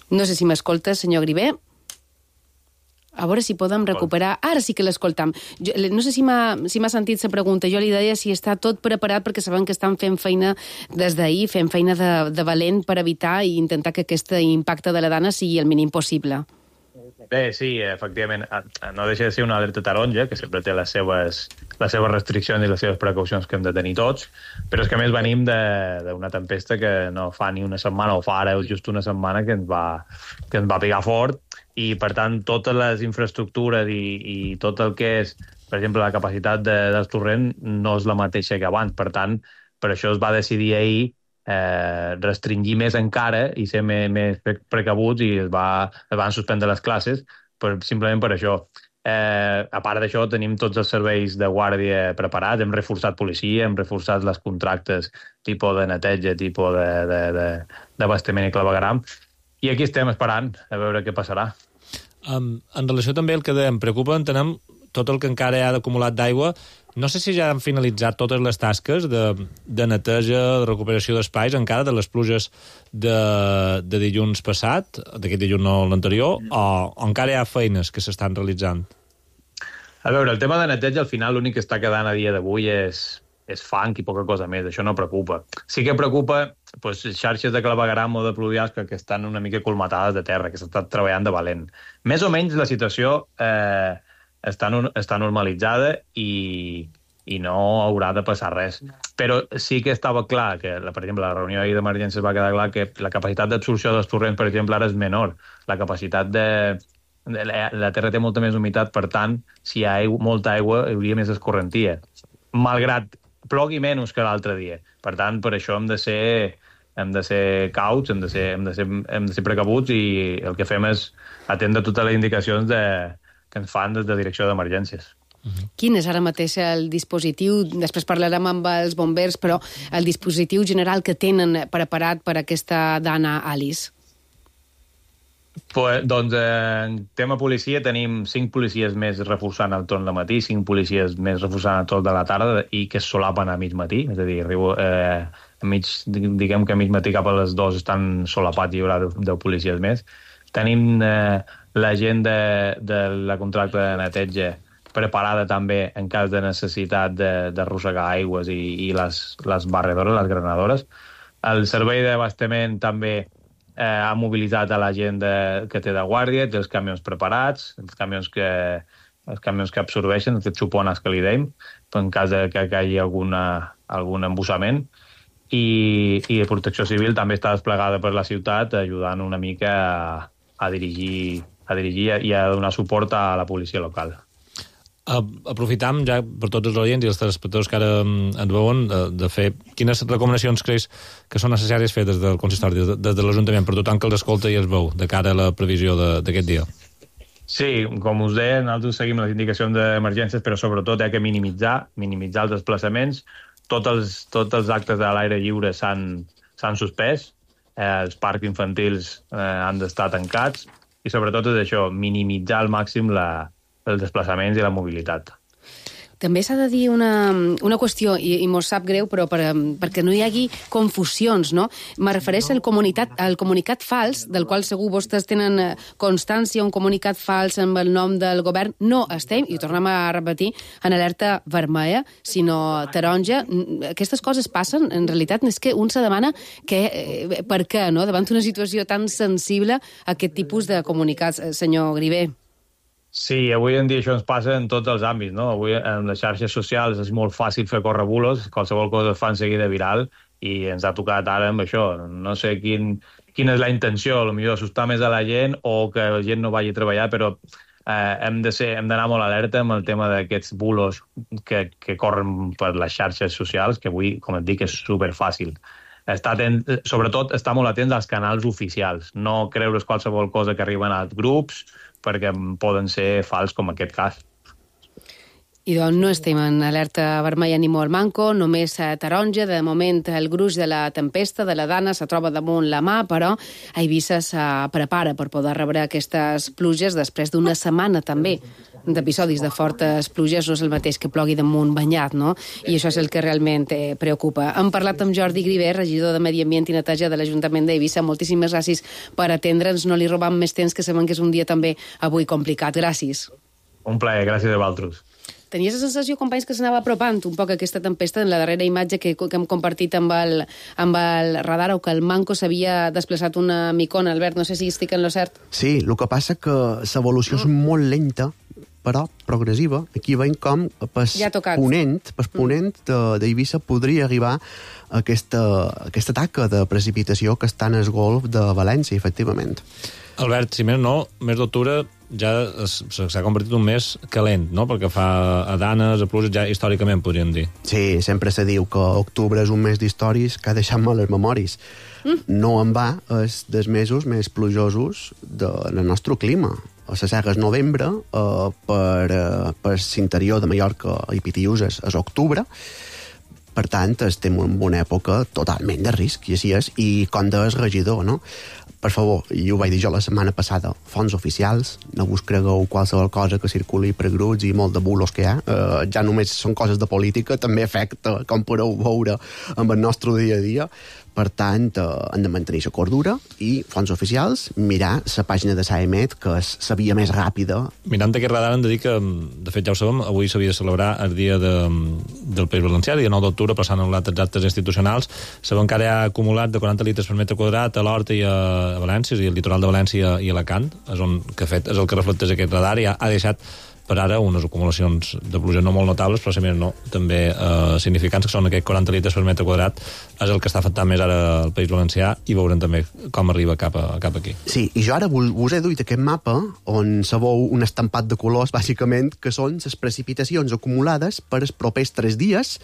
No sé si m'escoltes, senyor Grivé. A veure si podem recuperar... Ara sí que l'escoltam. No sé si m'ha sentit la pregunta. Jo li deia si està tot preparat, perquè sabem que estan fent feina des d'ahir, fent feina de valent per evitar i intentar que aquest impacte de la dana sigui el mínim possible. Bé, sí, efectivament, no deixa de ser una alerta taronja, que sempre té les seves restriccions i les seves precaucions que hem de tenir tots, però és que a més venim d'una tempesta que no fa ni una setmana, o fa ara just una setmana, que ens va pegar fort, i per tant totes les infraestructures i tot el que és, per exemple, la capacitat del torrent no és la mateixa que abans. Per tant, per això es va decidir ahir restringir més encara i ser més precabuts, i es van suspendre les classes simplement per això. A part d'això, tenim tots els serveis de guàrdia preparats, hem reforçat policia, hem reforçat les contractes tipus de neteja, tipus d'abastament i clavegueram, i aquí estem esperant a veure què passarà. En relació també al que em preocupa, entenem tot el que encara hi ha d'acumulat d'aigua. No sé si ja han finalitzat totes les tasques de neteja, de recuperació d'espais, encara de les pluges de dilluns passat, d'aquest dilluns no l'anterior, o encara hi ha feines que s'estan realitzant? A veure, el tema de neteja, al final, l'únic que està quedant a dia d'avui és fang i poca cosa més. Això no preocupa. Sí que preocupa xarxes de clavegueram o de pluvials que estan una mica colmatades de terra, que s'ha estat treballant de valent. Més o menys la situació està normalitzada, i i no haurà de passar res. Però sí que estava clar que, per exemple, la reunió ahir d'emergències va quedar clar que la capacitat d'absorció dels torrents, per exemple, ara és menor. La capacitat la terra té molta més humitat, per tant, si hi ha molta aigua, hi hauria més escorrentia, malgrat plogui menys que l'altre dia. Per tant, per això hem de ser cauts, hem de ser precabuts, i el que fem és atendre totes les indicacions que ens fan des de direcció d'emergències. Quin és ara mateix el dispositiu? Després parlarem amb els bombers, però el dispositiu general que tenen preparat per aquesta dana Alice? Doncs en tema policia tenim 5 policies més reforçant el torn de matí, 5 policies més reforçant el torn de la tarda i que es solapen a mig matí, és a dir, diguem que a mig matí cap a les 2 estan solapats i hi haurà 10 policies més. Tenim la gent de la contracta de neteja preparada també en cas de necessitat d'arrossegar aigües i les barredores, les granadores. El servei d'abastament també ha mobilitzat a la gent que té de guàrdia, té els camions preparats, els camions que absorbeixen, aquests xupones que li deim, en cas que hi hagi algun embussament. I Protecció Civil també està desplegada per la ciutat, ajudant una mica a dirigir i a donar suport a la policia local. Aprofitam ja per tots els oients i els telespectadors que ara ens veuen de fer quines recomanacions creus que són necessàries fer des del consistori, des de l'Ajuntament, per tothom que els escolta i els veu, de cara a la previsió d'aquest dia. Sí, com us deia, nosaltres seguim les indicacions d'emergències, però sobretot hi ha que minimitzar els desplaçaments. Tots els actes de l'aire lliure s'han suspès, els parcs infantils han d'estar tancats i sobretot és això, minimitzar al màxim els desplaçaments i la mobilitat. També s'ha de dir una qüestió, i mos sap greu, però perquè no hi hagi confusions, no? Me refereix al comunicat fals, del qual segur vostès tenen constància, un comunicat fals amb el nom del govern. No estem, i ho tornem a repetir, en alerta vermella, sinó taronja. Aquestes coses passen, en realitat, és que un se demana per què, no? Davant d'una situació tan sensible, aquest tipus de comunicats, senyor Griver. Sí, avui en dia això ens passa en tots els àmbits, no? Avui en les xarxes socials és molt fàcil fer córrer bulos, qualsevol cosa es fa en seguida viral i ens ha tocat ara amb això. No sé quina és la intenció, potser assustar més a la gent o que la gent no vagi a treballar, però hem d'anar molt alerta amb el tema d'aquests bulos que corren per les xarxes socials, que avui, com et dic, és superfàcil. Sobretot estar molt atents als canals oficials, no creure's qualsevol cosa que arriben als grups, perquè poden ser fals, com aquest cas. I doncs no estem en alerta vermella ni molt manco, només taronja. De moment el gruix de la tempesta, de la dana, se troba damunt la mà, però a Eivissa se prepara per poder rebre aquestes pluges després d'una setmana també d'episodis de fortes pluges. No és el mateix que plogui damunt banyat, no? I això és el que realment preocupa. Hem parlat amb Jordi Griver, regidor de Medi Ambient i Neteja de l'Ajuntament d'Eivissa. Moltíssimes gràcies per atendre'ns. No li robam més temps, que sabem que és un dia també avui complicat. Gràcies. Un plaer, gràcies a vosaltres. Tenies la sensació, companys, que s'anava apropant un poc aquesta tempesta en la darrera imatge que hem compartit amb el radar, o que el manco s'havia desplaçat una micona. Albert, no sé si estic en lo cert. Sí, el que passa que l'evolució és molt lenta, però progressiva. Aquí veiem com ponent d'Eivissa podria arribar a aquesta taca de precipitació que està en el golf de València, efectivament. Albert, si més no, mes d'octubre ja s'ha convertit un mes calent, no? Perquè fa a danes, a pluges, ja històricament, podríem dir. Sí, sempre se diu que octubre és un mes d'històries que ha deixat mal les memòries. No en va, és dels mesos més plujosos del nostre clima. A la serra és novembre, per l'interior de Mallorca i Pitiüses és octubre. Per tant, estem en una època totalment de risc, i així és. I com deies, regidor, no? Per favor, i ho vaig dir jo la setmana passada, fons oficials, no us cregueu qualsevol cosa que circuli per grups i molt de bulos que hi ha. Ja només són coses de política, també afecta, com podeu veure, amb el nostre dia a dia. Per tant, hem de mantenir la cordura i fons oficials, mirar la pàgina de SAEMET, que és la via més ràpida. Mirant aquest radar, hem de dir que, de fet, ja ho sabem, avui s'havia de celebrar el dia del País Valencià, el dia 9 d'octubre, passant a les actes institucionals. Sabem que ara hi ha acumulat de 40 litres per metre quadrat a l'Horta i a València, és a dir, el litoral de València i Alacant, és el que reflecteix aquest radar, i ha deixat per ara unes acumulacions de pluja no molt notables, però si més no, també significants, que són aquests 40 litres per metre quadrat, és el que està afectant més ara el País Valencià, i veurem també com arriba cap aquí. Sí, i jo ara us he duit aquest mapa on sabeu un estampat de colors, bàsicament, que són les precipitacions acumulades per els propers 3 dies.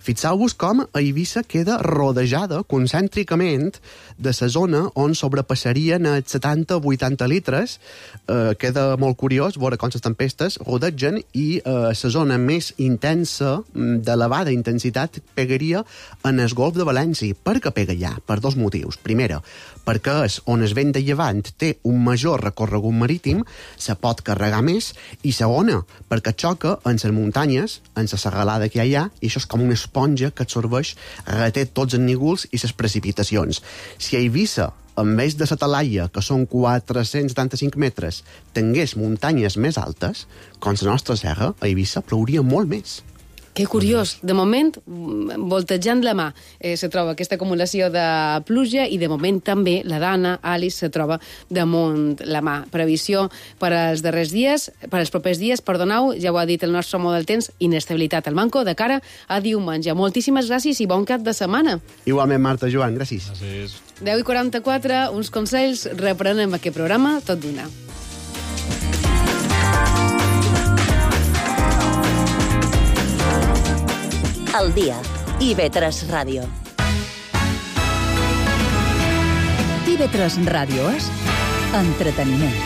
Fixeu-vos com a Eivissa queda rodejada concèntricament de la zona on sobrepassarien els 70-80 litres. Queda molt curiós veure com les tempestes rodegen i la zona més intensa, d'elevada intensitat, pegaria en el Golf de València. Per què pega allà? Per 2 motius. Primera, perquè és on el vent de llevant té un major recorregut marítim, se pot carregar més, i segona, perquè xoca en les muntanyes, en la serralada que hi ha allà, i això és com una esponja que absorbeix, reté tots els nígols i les precipitacions. Si a Eivissa, en vez de la Talaia, que són 475 metres, tingués muntanyes més altes, com la nostra serra, a Eivissa plouria molt més. Que curiós. De moment, voltejant la mà, se troba aquesta acumulació de pluja, i de moment també la Dana, Alice, se troba damunt la mà. Previsió per als darrers dies, per als propers dies, perdoneu, ja ho ha dit el nostre home del temps, inestabilitat al manco de cara a diumenge. Moltíssimes gràcies i bon cap de setmana. Igualment, Marta, Joan, gràcies. Gràcies. 10:44, uns consells, reprenem aquest programa tot d'una. Al dia. IB3 Ràdio. IB3 Ràdio és entreteniment.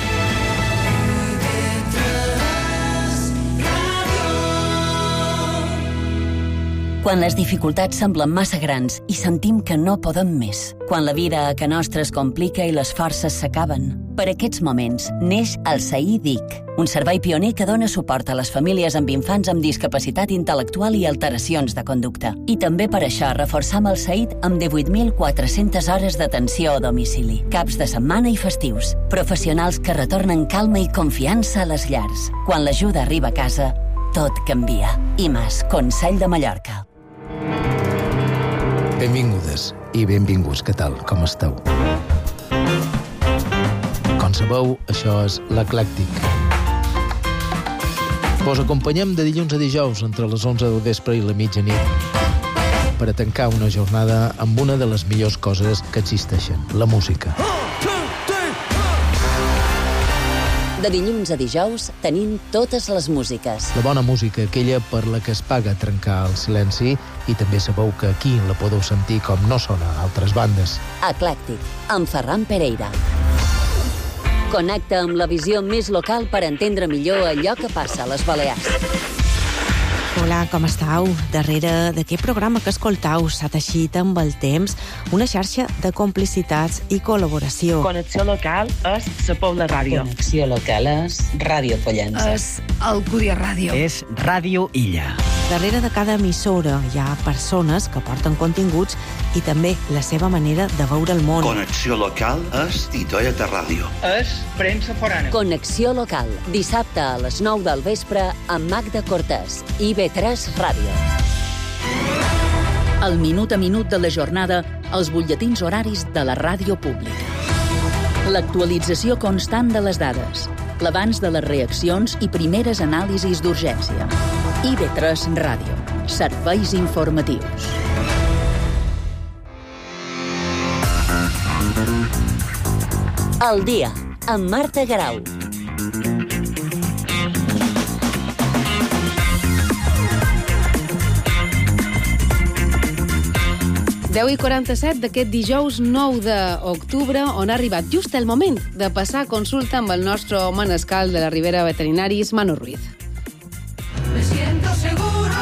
Quan les dificultats semblen massa grans i sentim que no podem més. Quan la vida a ca nostra es complica i les forces s'acaben. Per aquests moments neix el SAI DIC, un servei pioner que dona suport a les famílies amb infants amb discapacitat intel·lectual i alteracions de conducta. I també per això reforçam el SAID amb 18.400 hores d'atenció a domicili, caps de setmana i festius. Professionals que retornen calma i confiança a les llars. Quan l'ajuda arriba a casa, tot canvia. IMAS, Consell de Mallorca. Benvingudes i benvinguts, què tal, com esteu? Com sabeu, això és l'Eclèctic. Vos acompanyem de dilluns a dijous entre les 11 del vespre i la mitjanit per a tancar una jornada amb una de les millors coses que existeixen, la música. De dilluns a dijous tenim totes les músiques. La bona música, aquella per la que es paga trencar el silenci, i també sabeu que aquí la podeu sentir com no sona a altres bandes. Eclèctic, amb Ferran Pereira. Connecta amb la visió més local per entendre millor allò que passa a les Balears. Hola, com estàu? Darrere d'aquest programa que escoltau s'ha teixit amb el temps una xarxa de complicitats i col·laboració. Connexió local és la Pobla Ràdio. Connexió local és Ràdio Pollença. És Alcúdia Ràdio. És Ràdio Illa. Darrere de cada emissora hi ha persones que porten continguts i també la seva manera de veure el món. Connexió local és Titoieta Ràdio. És premsa forana. Connexió local, dissabte a les 9 del vespre amb Magda Cortés, IB3 Ràdio. El minut a minut de la jornada, els butlletins horaris de la ràdio pública. L'actualització constant de les dades, l'abans de les reaccions i primeres anàlisis d'urgència. IB3 Ràdio. Serveis informatius. El dia, amb Marta Garau. Deu i 47 d'aquest dijous 9 d'octubre, on ha arribat just el moment de passar consulta amb el nostre manescal de la Ribera Veterinaris, Manu Ruiz. Me siento seguro.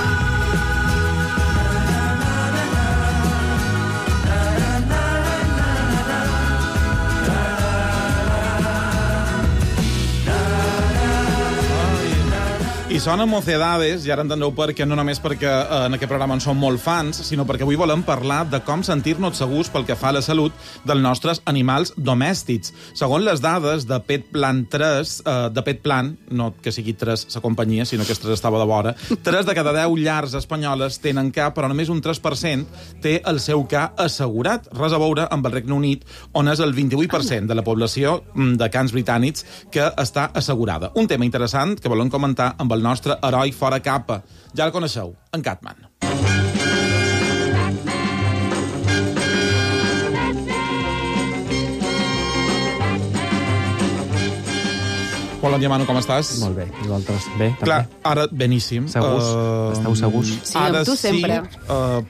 I I sona Mocedades, i ara entendreu per què, no només perquè en aquest programa en som molt fans, sinó perquè avui volem parlar de com sentir-nos segurs pel que fa a la salut dels nostres animals domèstics. Segons les dades de Petplan 3, de Petplan, no que sigui 3 la companyia, sinó que 3 estava de vora, 3 de cada 10 llars espanyoles tenen ca, però només un 3% té el seu ca assegurat. Res a veure amb el Regne Unit, on és el 28% de la població de cans britànics que està assegurada. Un tema interessant que volem comentar amb el nostre heroi fora capa. Ja el coneixeu, en Catman. Bon dia, Manu, com estàs? Molt bé, i vosaltres? Bé, també? Clar, ara, beníssim. Segurs? Esteu segurs? Sí, amb tu sempre.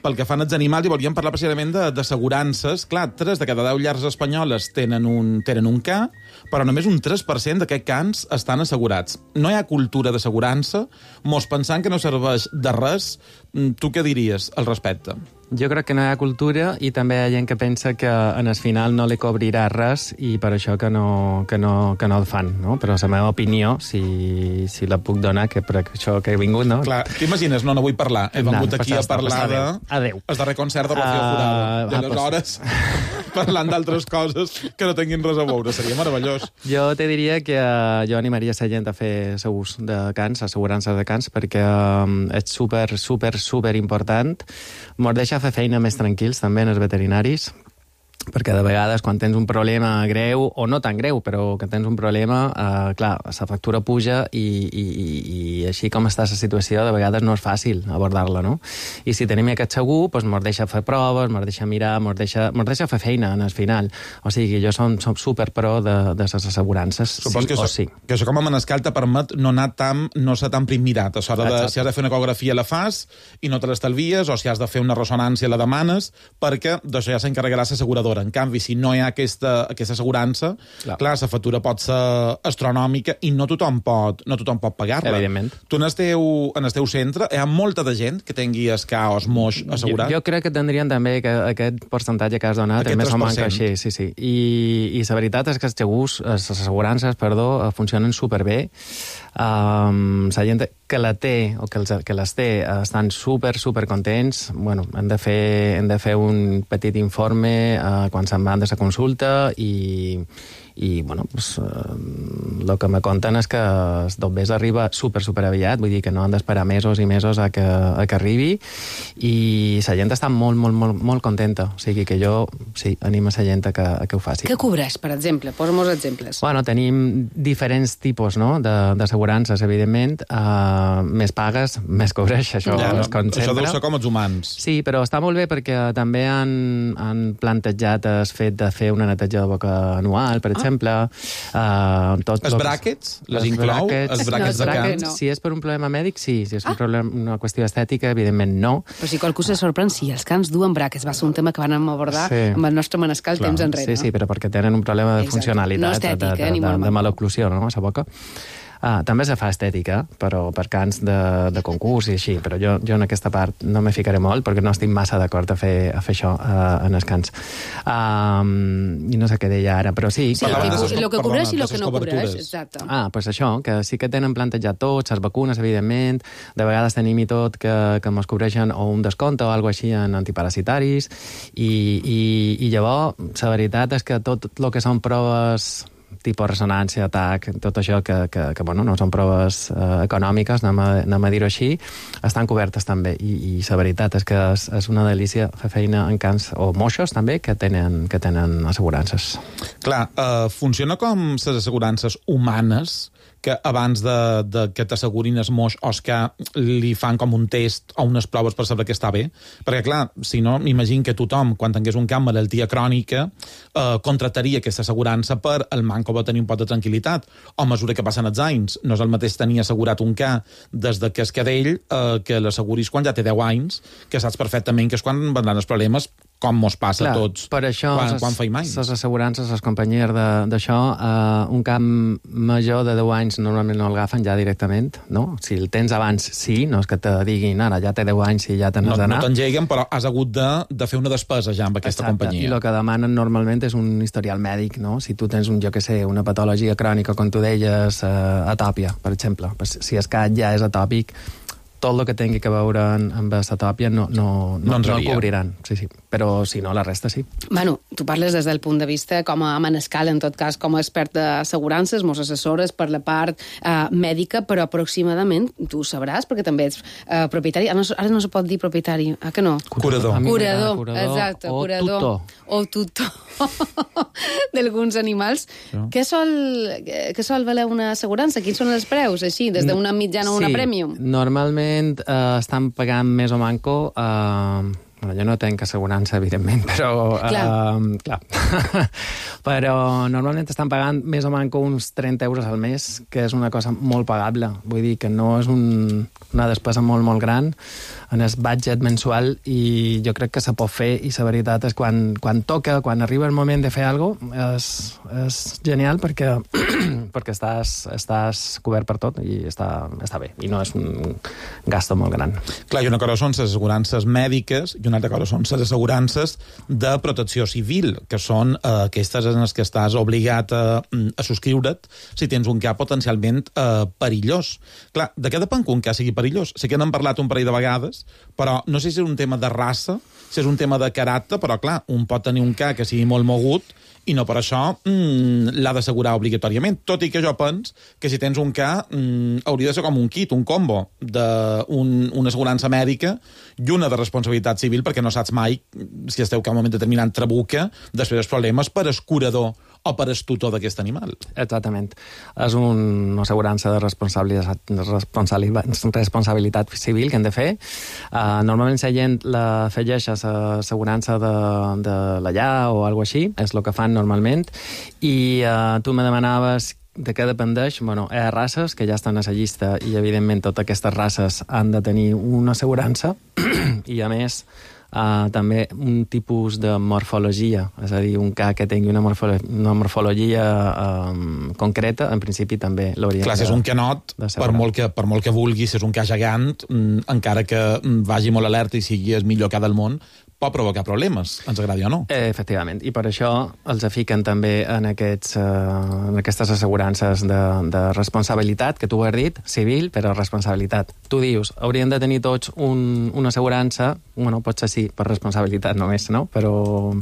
Pel que fan als animals, i volíem parlar precisament d'assegurances. Clar, 3 de cada 10 llars espanyoles tenen un ca, però només un 3% d'aquests cans estan assegurats. No hi ha cultura d'assegurança, mos pensant que no serveix de res. Tu què diries al respecte? Jo crec que no hi ha cultura i també hi ha gent que pensa que en el final no li cobrirà res i per això que no el fan, no? Però la meva opinió, si la puc donar, que per això que he vingut, no? Clar, t'imagines? No vull parlar. He vingut aquí a parlar de... Adéu. El darrer concert de Rocío Jurado. I aleshores, parlant d'altres coses que no tinguin res a veure. Seria meravellós. Jo te diria que jo animaria la gent a fer segurs de cans, assegurances de cans, perquè és super important. Mos deixa fer feina més tranquils, també, en els veterinaris, perquè de vegades quan tens un problema greu, o no tan greu, però que tens un problema, clar, la factura puja i així com està la situació, de vegades no és fàcil abordar-la, no? I si tenim aquest segur, doncs mos deixa fer proves, mos deixa mirar, mos deixa fer feina en el final. O sigui, jo som super pro de les assegurances, supos sí o sí. Que això com a manescal te permet no ser tan primirat. A l'hora de, si has de fer una ecografia la fas i no te l'estalvies, o si has de fer una ressonància la demanes, perquè d'això ja s'encarregarà l'asseguradora. En canvi, si no hi ha aquesta assegurança, clar, la factura pot ser astronòmica i no tothom pot pagar-la. Evidentment. Tu en el teu centre hi ha molta de gent que tingui el ca o el moix assegurat? Jo crec que tindrien també aquest percentatge que has donat, més o menys així, sí. I la veritat és que els segurs, les assegurances, funcionen superbé. La gent que la té o que les té estan super contents. Bueno, han de fer un petit informe quan se'n van de la consulta i bueno, pues, el que me conten és que el dobbers arriba super aviat, vull dir que no han d'esperar mesos i mesos a que arribi, i la gent està molt contenta. O sigui que jo, sí, animo la gent a que ho faci. Què cobreix, per exemple? Posa'm exemples. Bueno, tenim diferents tipus, no?, d'assegurances, evidentment. Més pagues, més cobreix, això és com sempre. Això deu ser com els humans. Sí, però està molt bé perquè també han plantejat el fet de fer una neteja de boca anual, per exemple. Els bràquets? Les inclou? Els bràquets de cans? No. Si és per un problema mèdic, sí. Si és una qüestió estètica, evidentment no. Però si qualcú se sorprèn, si els cans duen bràquets, va ser un tema que vam abordar amb el nostre manescal temps enrere. Sí, però perquè tenen un problema de funcionalitat, no estètica, de maloclusió, no?, a la boca. També se fa estètica, però per cants de concurs i així, però jo en aquesta part no me ficaré molt perquè no estic massa d'acord a fer això en els cants. I no sé què deia ara, però sí. El que cobreix i el que no cobreix, exacte. Doncs això, que sí que tenen plantejat tots, les vacunes, evidentment, de vegades tenim i tot que ens cobreixen o un descompte o alguna així en antiparasitaris, i llavors la veritat és que tot el que són proves tipus ressonància, atac, tot això que bueno, no són proves econòmiques, anem a dir-ho així, estan cobertes també. I la veritat és que és una delícia fer feina en cans o moixos també que tenen assegurances. Clar, funciona com les assegurances humanes, que abans de que t'assegurin el moix o que li fan com un test o unes proves per saber que està bé. Perquè, clar, si no, m'imagino que tothom, quan tingués un camp malaltia crònica, contractaria aquesta assegurança per el manco de tenir un pot de tranquil·litat. O a mesura que passen els anys, no és el mateix tenir assegurat un ca des que és cadell que l'asseguris quan ja té 10 anys, que saps perfectament que és quan vendran els problemes com mos passa a tots per això quan feim anys. Les assegurances, les companyies d'això, un camp major de 10 anys normalment no el agafen ja directament, no? Si el tens abans, sí, no és que te diguin, ara ja té 10 anys i ja te n'has d'anar. No t'engeguen, però has hagut de fer una despesa ja amb aquesta companyia. I el que demanen normalment és un historial mèdic, no? Si tu tens una patologia crònica, com tu deies, atòpia, per exemple. Si el cas ja és atòpic, tot el que tingui que veure amb l'atòpia no el cobriran. Sí. Però si no, la resta sí. Manu, tu parles des del punt de vista com a manescal, en tot cas, com a expert d'assegurances, mos assessores per la part mèdica, però aproximadament tu sabràs, perquè també ets propietari. Ara no se pot dir propietari, que no? Curador. Curador, exacte. O curador. tutor. O tutor d'alguns animals. No. Què sol valer una assegurança? Quins són els preus, així, des d'una mitjana o una premium? Normalment estan pagant més o manco... jo no tenc assegurança, evidentment, però... Clar. Però normalment estan pagant més o manco uns 30 euros al mes, que és una cosa molt pagable. Vull dir que no és una despesa molt, molt gran en el budget mensual, i jo crec que se pot fer, i la veritat és quan toca, quan arriba el moment de fer alguna cosa, és genial perquè estàs cobert per tot i està bé, i no és un gasto molt gran. Clar, i una cosa són les assegurances mèdiques i una altra cosa són les assegurances de protecció civil, que són aquestes en les que estàs obligat a subscriure't si tens un cas potencialment perillós. Clar, de què depèn que un cas sigui perillós? Sé que n'hem parlat un parell de vegades, però no sé si és un tema de raça, si és un tema de caràcter, però clar, un pot tenir un cas que sigui molt mogut i no per això l'ha d'assegurar obligatòriament. Tot i que jo penso que si tens un cas hauria de ser com un kit, un combo d'una assegurança mèdica i una de responsabilitat civil, perquè no saps mai si esteu que en un moment determinant trabuca després dels problemes per el curador o per el tutor d'aquest animal. Exactament. És una assegurança de responsabilitat civil que hem de fer. Normalment la gent l'afegeix a l'assegurança de la llar o alguna així, és el que fan normalment, i tu me demanaves de què dependeix. Bueno, hi ha races que ja estan a la llista i, evidentment, totes aquestes races han de tenir una assegurança i, a més, també un tipus de morfologia, és a dir, un cas que tingui una morfologia concreta, en principi també l'hauria de... Clar, si és un canot, per molt que vulgui, si és un cas gegant, encara que vagi molt alerta i sigui el millor cas del món, pot provocar problemes, ens agradi o no. Efectivament, i per això els fiquen també en aquestes assegurances de responsabilitat, que tu ho has dit, civil, però responsabilitat. Tu dius, haurien de tenir tots una assegurança, bueno, potser sí, per responsabilitat només, no? Però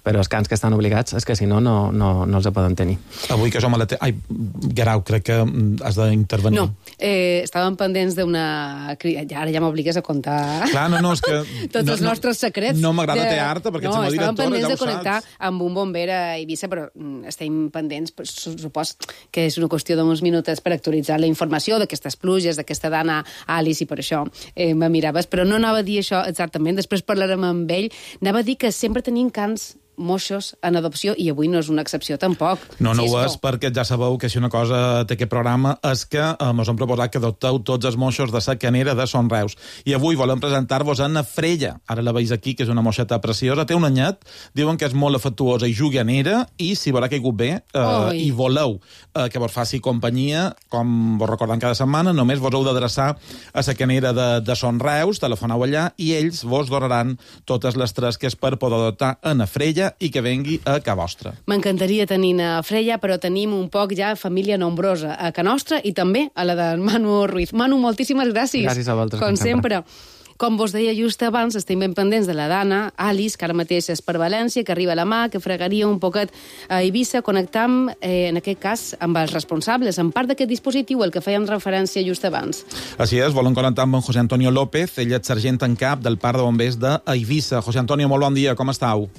els cans que estan obligats és que si no els poden tenir. Avui que som a la... Ai, Guerau, crec que has d'intervenir. No, estàvem pendents d'una... Ara ja m'obligues a contar... Clar, no, és que... Tots els nostres secrets. No m'agrada tear-te, perquè ets la directora, ja ho saps. Estàvem pendents de connectar amb un bomber a Eivissa, però estem pendents, supos que és una qüestió d'uns minutets per actualitzar la informació d'aquestes pluges, d'aquesta dana Alice, i per això me miraves. Però no anava a dir això exactament, després parlarem amb ell. Anava a dir que sempre tenim cans moixos en adopció, i avui no és una excepció tampoc. No ho és, perquè ja sabeu que si una cosa té aquest programa és que ens han proposat que adopteu tots els moixos de la canera de Son Reus. I avui volem presentar-vos a na Freya. Ara la veus aquí, que és una moixeta preciosa. Té un anyet, diuen que és molt afectuosa i juganera, i si veurà caigut bé i voleu que vos faci companyia, com vos recordem cada setmana, només vos heu d'adreçar a la canera de Son Reus, telefoneu allà, i ells vos donaran totes les tresques per poder adoptar a na Freya i que vengui a ca vostra. M'encantaria tenir a Freya, però tenim un poc ja família nombrosa a ca nostra i també a la de Manu Ruiz. Manu, moltíssimes gràcies. Gràcies a vosaltres, com sempre. Com vos deia just abans, estem ben pendents de la Dana, Alice, que ara mateix és per València, que arriba a la mà, que fregaria un poquet a Eivissa. Connectam, en aquest cas, amb els responsables, en part d'aquest dispositiu, el que fèiem referència just abans. Així és, volem connectar amb en José Antonio López, ell és sergent en cap del Parc de Bombers d'Eivissa. José Antonio, molt bon dia, com estàu?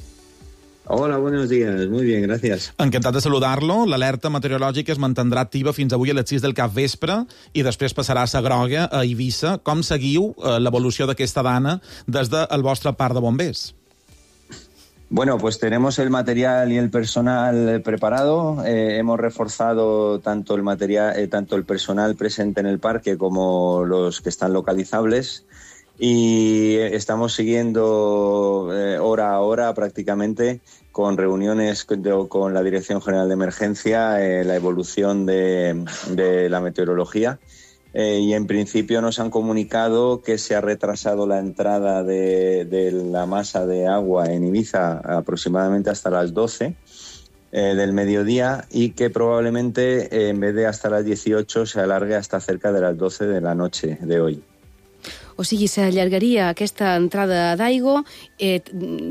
Hola, buenos días. Muy bien, gracias. Encantat de saludar-lo. L'alerta meteorològica es mantindrà activa fins avui a les 6 del capvespre i després passarà a la groga a Eivissa. Com seguiu l'evolució d'aquesta dana des del vostre parc de bombers? Bueno, pues tenemos el material y el personal preparado. Hemos reforzado tanto el material, tanto el personal presente en el parque como los que están localizables. Y estamos siguiendo hora a hora hora prácticamente con reuniones con la Dirección General de Emergencia, la evolución de la meteorología. Y en principio nos han comunicado que se ha retrasado la entrada de la masa de agua en Ibiza aproximadamente hasta las 12 del mediodía y que probablemente en vez de hasta las 18 se alargue hasta cerca de las 12 de la noche de hoy. O sigui, s'allargaria aquesta entrada d'aigua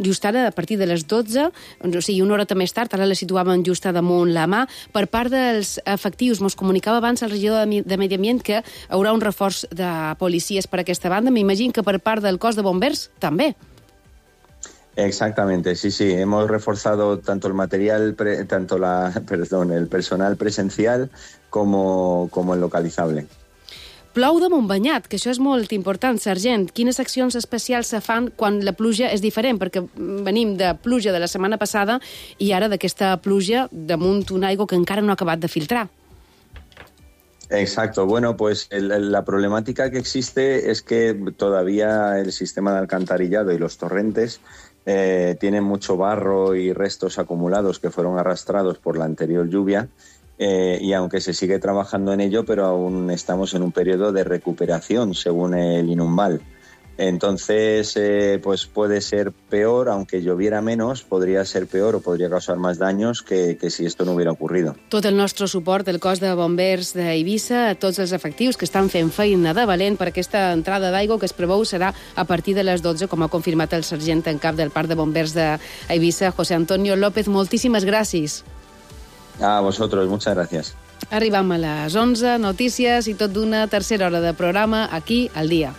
just ara a partir de les 12, o sigui, una hora més tard, ara la situàvem just damunt la mà. Per part dels efectius, mos comunicava abans el regidor de Medi Ambient que hi haurà un reforç de policies per aquesta banda. M'imagino que per part del cos de bombers també. Exactamente, sí. Hemos reforzado tanto el material, el personal presencial como el localizable. Plou de Montbanyat, que això és molt important, sergent. Quines accions especials se fan quan la pluja és diferent? Perquè venim de pluja de la setmana passada i ara d'aquesta pluja damunt una aigua que encara no ha acabat de filtrar. Exacto. Bueno, pues la problemática que existe es que todavía el sistema de alcantarillado y los torrentes tienen mucho barro y restos acumulados que fueron arrastrados por la anterior lluvia. Y aunque se sigue trabajando en ello, pero aún estamos en un periodo de recuperación, según el Inunval. Entonces, pues puede ser peor, aunque lloviera menos, podría ser peor o podría causar más daños que si esto no hubiera ocurrido. Tot el nostre suport al cos de bombers d'Eivissa, a tots els efectius que estan fent feina de valent per aquesta entrada d'aigua que es preveu serà a partir de les 12, com ha confirmat el sergent en cap del Parc de Bombers d'Eivissa, José Antonio López. Moltíssimes gràcies. A vosotros, muchas gracias. Arribam a les 11, notícies i tot d'una tercera hora de programa aquí al dia.